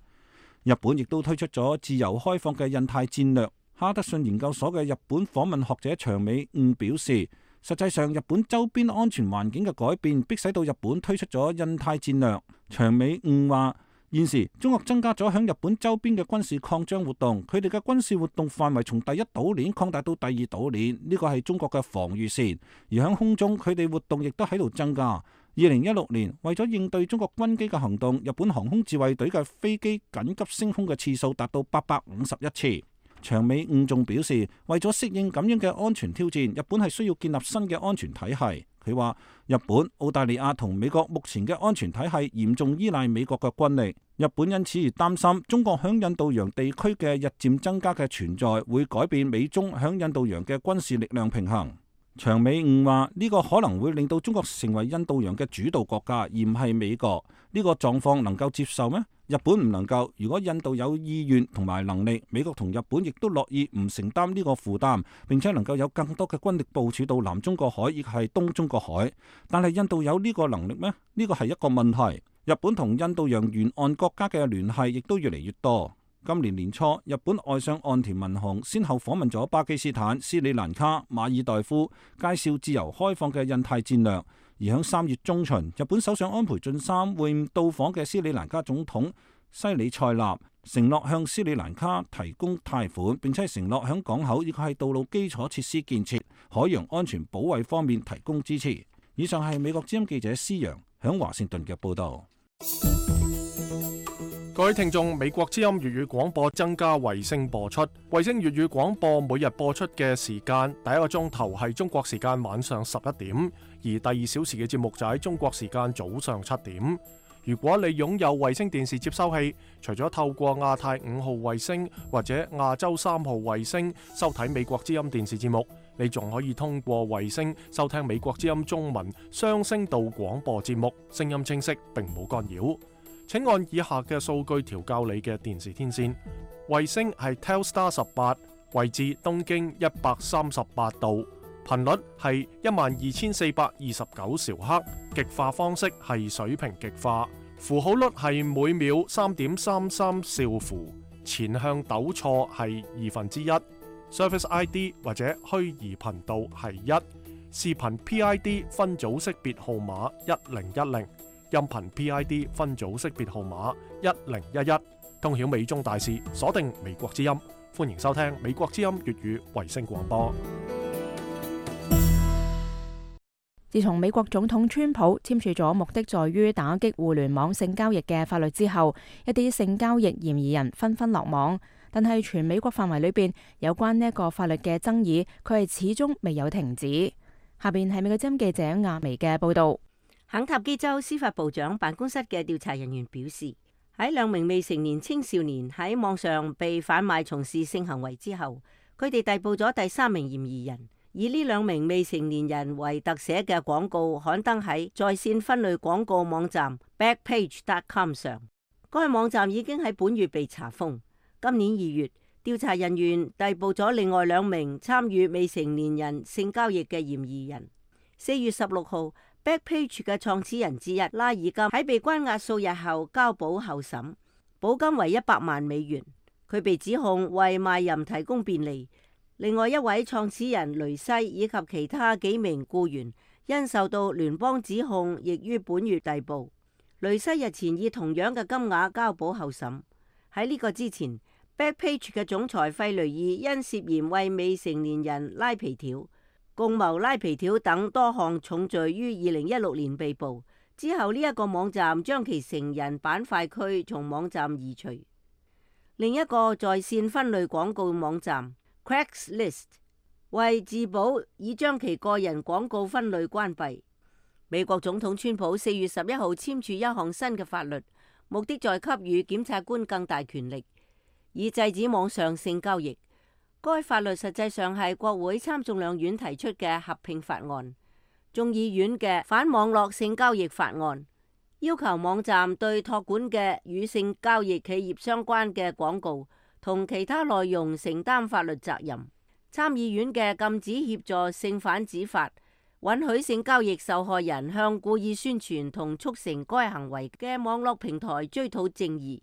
[SPEAKER 7] 日本亦都推出咗自由開放嘅印太戰略。哈德遜研究所嘅日本訪問學者長尾悟表示，實際上，日本周邊安全環境嘅改變，迫使到日本推出咗印太戰略。長尾悟話，現時中國增加咗響日本周邊嘅軍事擴張活動，佢哋嘅軍事活動範圍從第一島鏈擴大到第二島鏈，呢個係中國嘅防禦線。而響空中，佢哋活動亦都喺度增加。二零一六年，為咗應對中國軍機嘅行動，日本航空自衛隊嘅飛機緊急升空嘅次數達到八百五十一次。長尾悟仲表示，為咗適應咁樣嘅安全挑戰，日本係需要建立新嘅安全體系。佢話，日本、澳大利亞同美國目前嘅安全體系嚴重依賴美國嘅軍力，日本因此而擔心中國響印度洋地區嘅日漸增加嘅存在會改變美中響印度洋嘅軍事力量平衡。長尾悟話，呢個可能會令到中國成為印度洋嘅主導國家，而唔係美國。呢個狀況能夠接受咩？日本唔能夠。如果印度有意願同埋能力，美國同日本亦都樂意唔承擔呢個負擔，並且能夠有更多嘅軍力部署到南中國海，亦係東中國海。但係印度有呢個能力咩？呢個係一個問題。日本同印度洋沿岸國家嘅聯繫亦都越嚟越多。今年年初，日本外相岸田文雄先後訪問咗巴基斯坦、斯里蘭卡、馬爾代夫，介紹自由開放嘅印太戰略。而喺三月中旬，日本首相安倍晉三會晤到訪嘅斯里蘭卡總統西里塞納，承諾向斯里蘭卡提供貸款，並且承諾響港口以及係道路基礎設施建設、海洋安全保衛方面提供支持。以上係美國之音記者施洋響華盛頓嘅報道。
[SPEAKER 1] 各位聽眾，美國之音粵語廣播增加衛星播出，衛星粵語廣播每日播出嘅時間，第一個鐘頭係中國時間晚上十一點，而第二小時嘅節目就喺中國時間早上七點。如果你擁有衛星電視接收器，除咗透過亞太五號衛星或者亞洲三號衛星收睇美國之音電視節目，你仲可以通過衛星收聽美國之音中文雙聲道廣播節目，聲音清晰並冇干擾。請按以下嘅數據調校你嘅電視天線。衛星係 Telstar 十八，位置東經一百三十八度，頻率係一萬二千四百二十九兆赫，極化方式係水平極化，符號率係每秒三點三三兆符，前向抖錯係二分之一，Service I D 或者虛擬頻道係一，視頻 P I D 分組識別號碼一零一零。音頻 P I D 分組識別號碼一零一一，通曉美中大事，鎖定美國之音，歡迎收聽美國之音粵語衛星廣播。
[SPEAKER 2] 自從美國總統川普簽署咗目的在於打擊互聯網性交易嘅法律之後，一啲性交易嫌疑人紛紛落網，但係全美國範圍裏邊有關呢一個法律嘅爭議，佢係始終未有停止。下邊係美國之音記者亞薇嘅報道。
[SPEAKER 9] 肯塔基州司法部長辦公室嘅調查人員表示，喺兩名未成年青少年喺網上被販賣從事性行為之後，佢哋逮捕咗第三名嫌疑人，以呢兩名未成年人為特寫嘅廣告刊登喺在線分類廣告網站 Backpage dot com 上。該網站已經喺本月被查封。今年二月，調查人員逮捕咗另外兩名參與未成年人性交易嘅嫌疑人。四月十六號 Backpage 嘅創始人之一拉爾金喺被關押數日後交保候審，保金為一百萬美元。佢被指控為賣淫提供便利。另外一位創始人雷西以及其他幾名僱員因受到聯邦指控，亦於本月逮捕。雷西日前以同樣嘅金額交保候審。喺呢個之前， Backpage 嘅總裁費雷爾因涉嫌為未成年人拉皮條、共謀拉皮條等多項重罪於二零一六年被捕。之後呢一個網站將其成人板塊區從網站移除。另一個在線分類廣告網站 Craigslist 為自保，已將其個人廣告分類關閉。美國總統川普四月十一號簽署一項新嘅法律，目的在給予檢察官更大權力，以制止網上性交易。該法律實際上係國會參眾兩院提出嘅合併法案，眾議院嘅反網絡性交易法案，要求網站對託管嘅與性交易企業相關嘅廣告同其他內容承擔法律責任。參議院嘅禁止協助性販子法，允許性交易受害人向故意宣傳同促成該行為嘅網絡平台追討正義。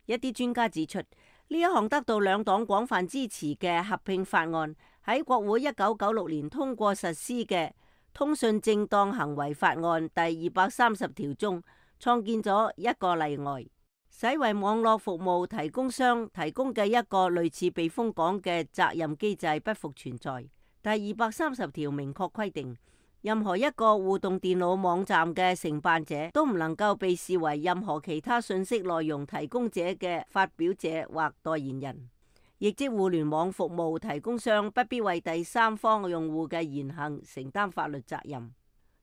[SPEAKER 9] 一啲專家指出，呢一項得到兩黨廣泛支持嘅合併法案喺國會一九九六年通過實施嘅通訊正當行為法案第二百三十條中，創建咗一個例外，使為網絡服務提供商提供嘅一個類似避風港嘅責任機制不復存在。第二百三十條明確規定，任何一個互動電腦網站嘅承辦者都唔能夠被視為任何其他信息內容提供者嘅發表者或代言人。亦即互聯網服務提供商不必為第三方用戶嘅言行承擔法律責任。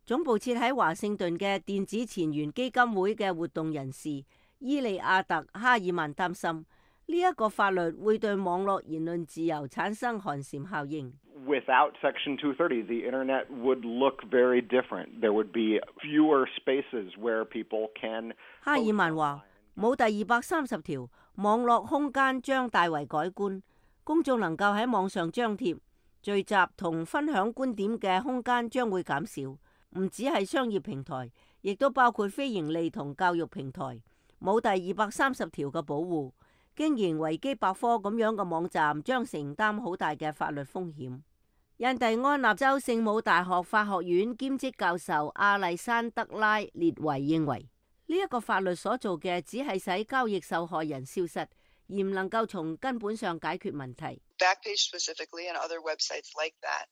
[SPEAKER 9] 總部設喺華盛頓嘅電子前沿基金會嘅活動人士伊利亞特哈爾曼擔心，呢一個法律會對網絡言論自由產生寒蟬效應。
[SPEAKER 12] Without Section two thirty, the internet would look very different. There would be fewer spaces where people can.
[SPEAKER 9] 哈爾曼話：冇第二百三十條，網絡空間將大為改觀，公眾能夠喺網上張貼、聚集同分享觀點嘅空間將會減少。唔只係商業平台，亦都包括非盈利同教育平台。冇第二百三十條嘅保護，經營維基百科咁樣嘅網站將承擔好大嘅法律風險。印第安納州聖母大學法學院兼職教授阿麗珊德拉列維認為，呢一個法律所做嘅只係使交易受害人消失，而唔能夠從根本上解決問題。
[SPEAKER 13] Backpage specifically and other websites like that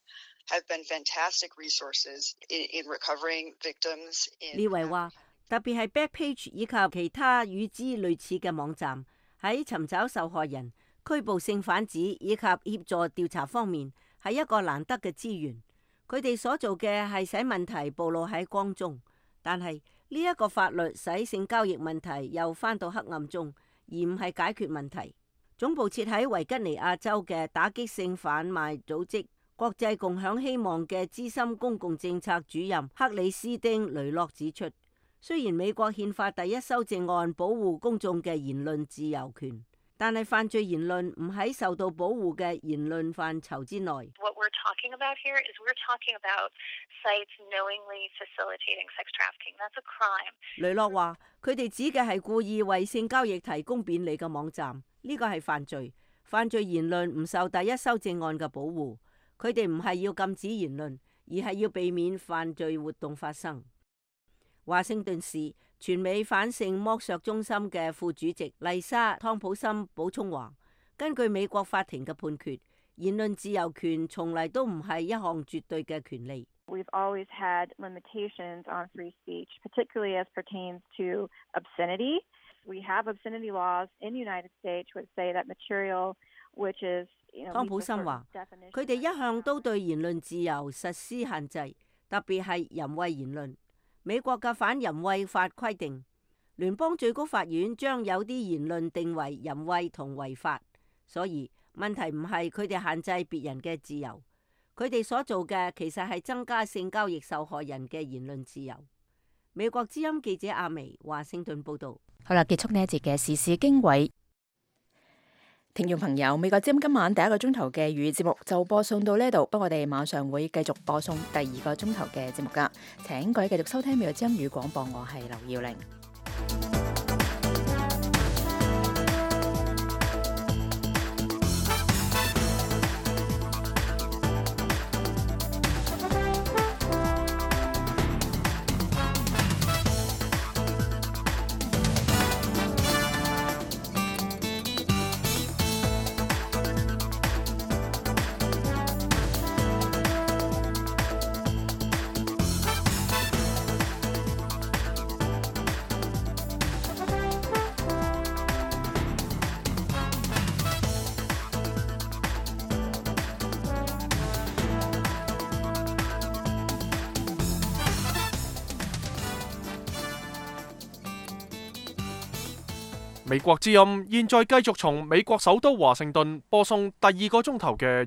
[SPEAKER 13] have been fantastic resources in, in recovering victims.
[SPEAKER 9] 列維話，特別係 Backpage 以及其他與之類似嘅網站，喺尋找受害人、拘捕性販子以及協助調查方面，係一個難得嘅資源。佢哋所做嘅係使問題暴露喺光中，但係呢一個法律使性交易問題又返到黑暗中，而唔係解決問題。總部設喺維吉尼亞州嘅打擊性販賣組織國際共享希望嘅資深公共政策主任克里斯丁雷諾指出，雖然美國憲法第一修正案保護公眾嘅言論自由權，但係犯罪言論唔喺受到保護嘅言論範疇之內。
[SPEAKER 14] What we're talking about here is we're talking about sites knowingly facilitating sex trafficking. That's a crime.
[SPEAKER 9] 雷諾話：佢哋指嘅係故意為性交易提供便利嘅網站，呢個係犯罪。犯罪言論唔受第一修正案嘅保護。佢哋唔係要禁止言論，而係要避免犯罪活動發生。華盛頓市全美反性剝削中心嘅副主席麗莎湯普森補充話，根據美國法庭嘅判決，言論自由權從嚟都唔係一項絕對嘅權利。
[SPEAKER 15] We've always had limitations on free speech, particularly as pertains to obscenity. We have obscenity laws in the United States which say that material which is, you know,
[SPEAKER 9] 湯普森話，佢哋一向都對言論自由實施限制，特別係淫穢言論。美國嘅反淫穢法規定，聯邦最高法院將有啲言論定為淫穢同違法，所以問題唔係佢哋限制別人嘅自由，佢哋所做嘅其實係增加性交易受害人嘅言論自由。美國之音記者阿薇華盛頓報道。
[SPEAKER 2] 好啦，結束呢一節嘅時事經緯。聽眾朋友，美國之音今晚第一個鐘頭嘅粵語節目就播送到呢度，不過我哋馬上會繼續播送第二個鐘頭嘅節目㗎。請各位繼續收聽美國之音粵語廣播，我係劉耀玲。
[SPEAKER 1] 美國之音現在繼續從美國首都華盛頓播送第二個鐘頭嘅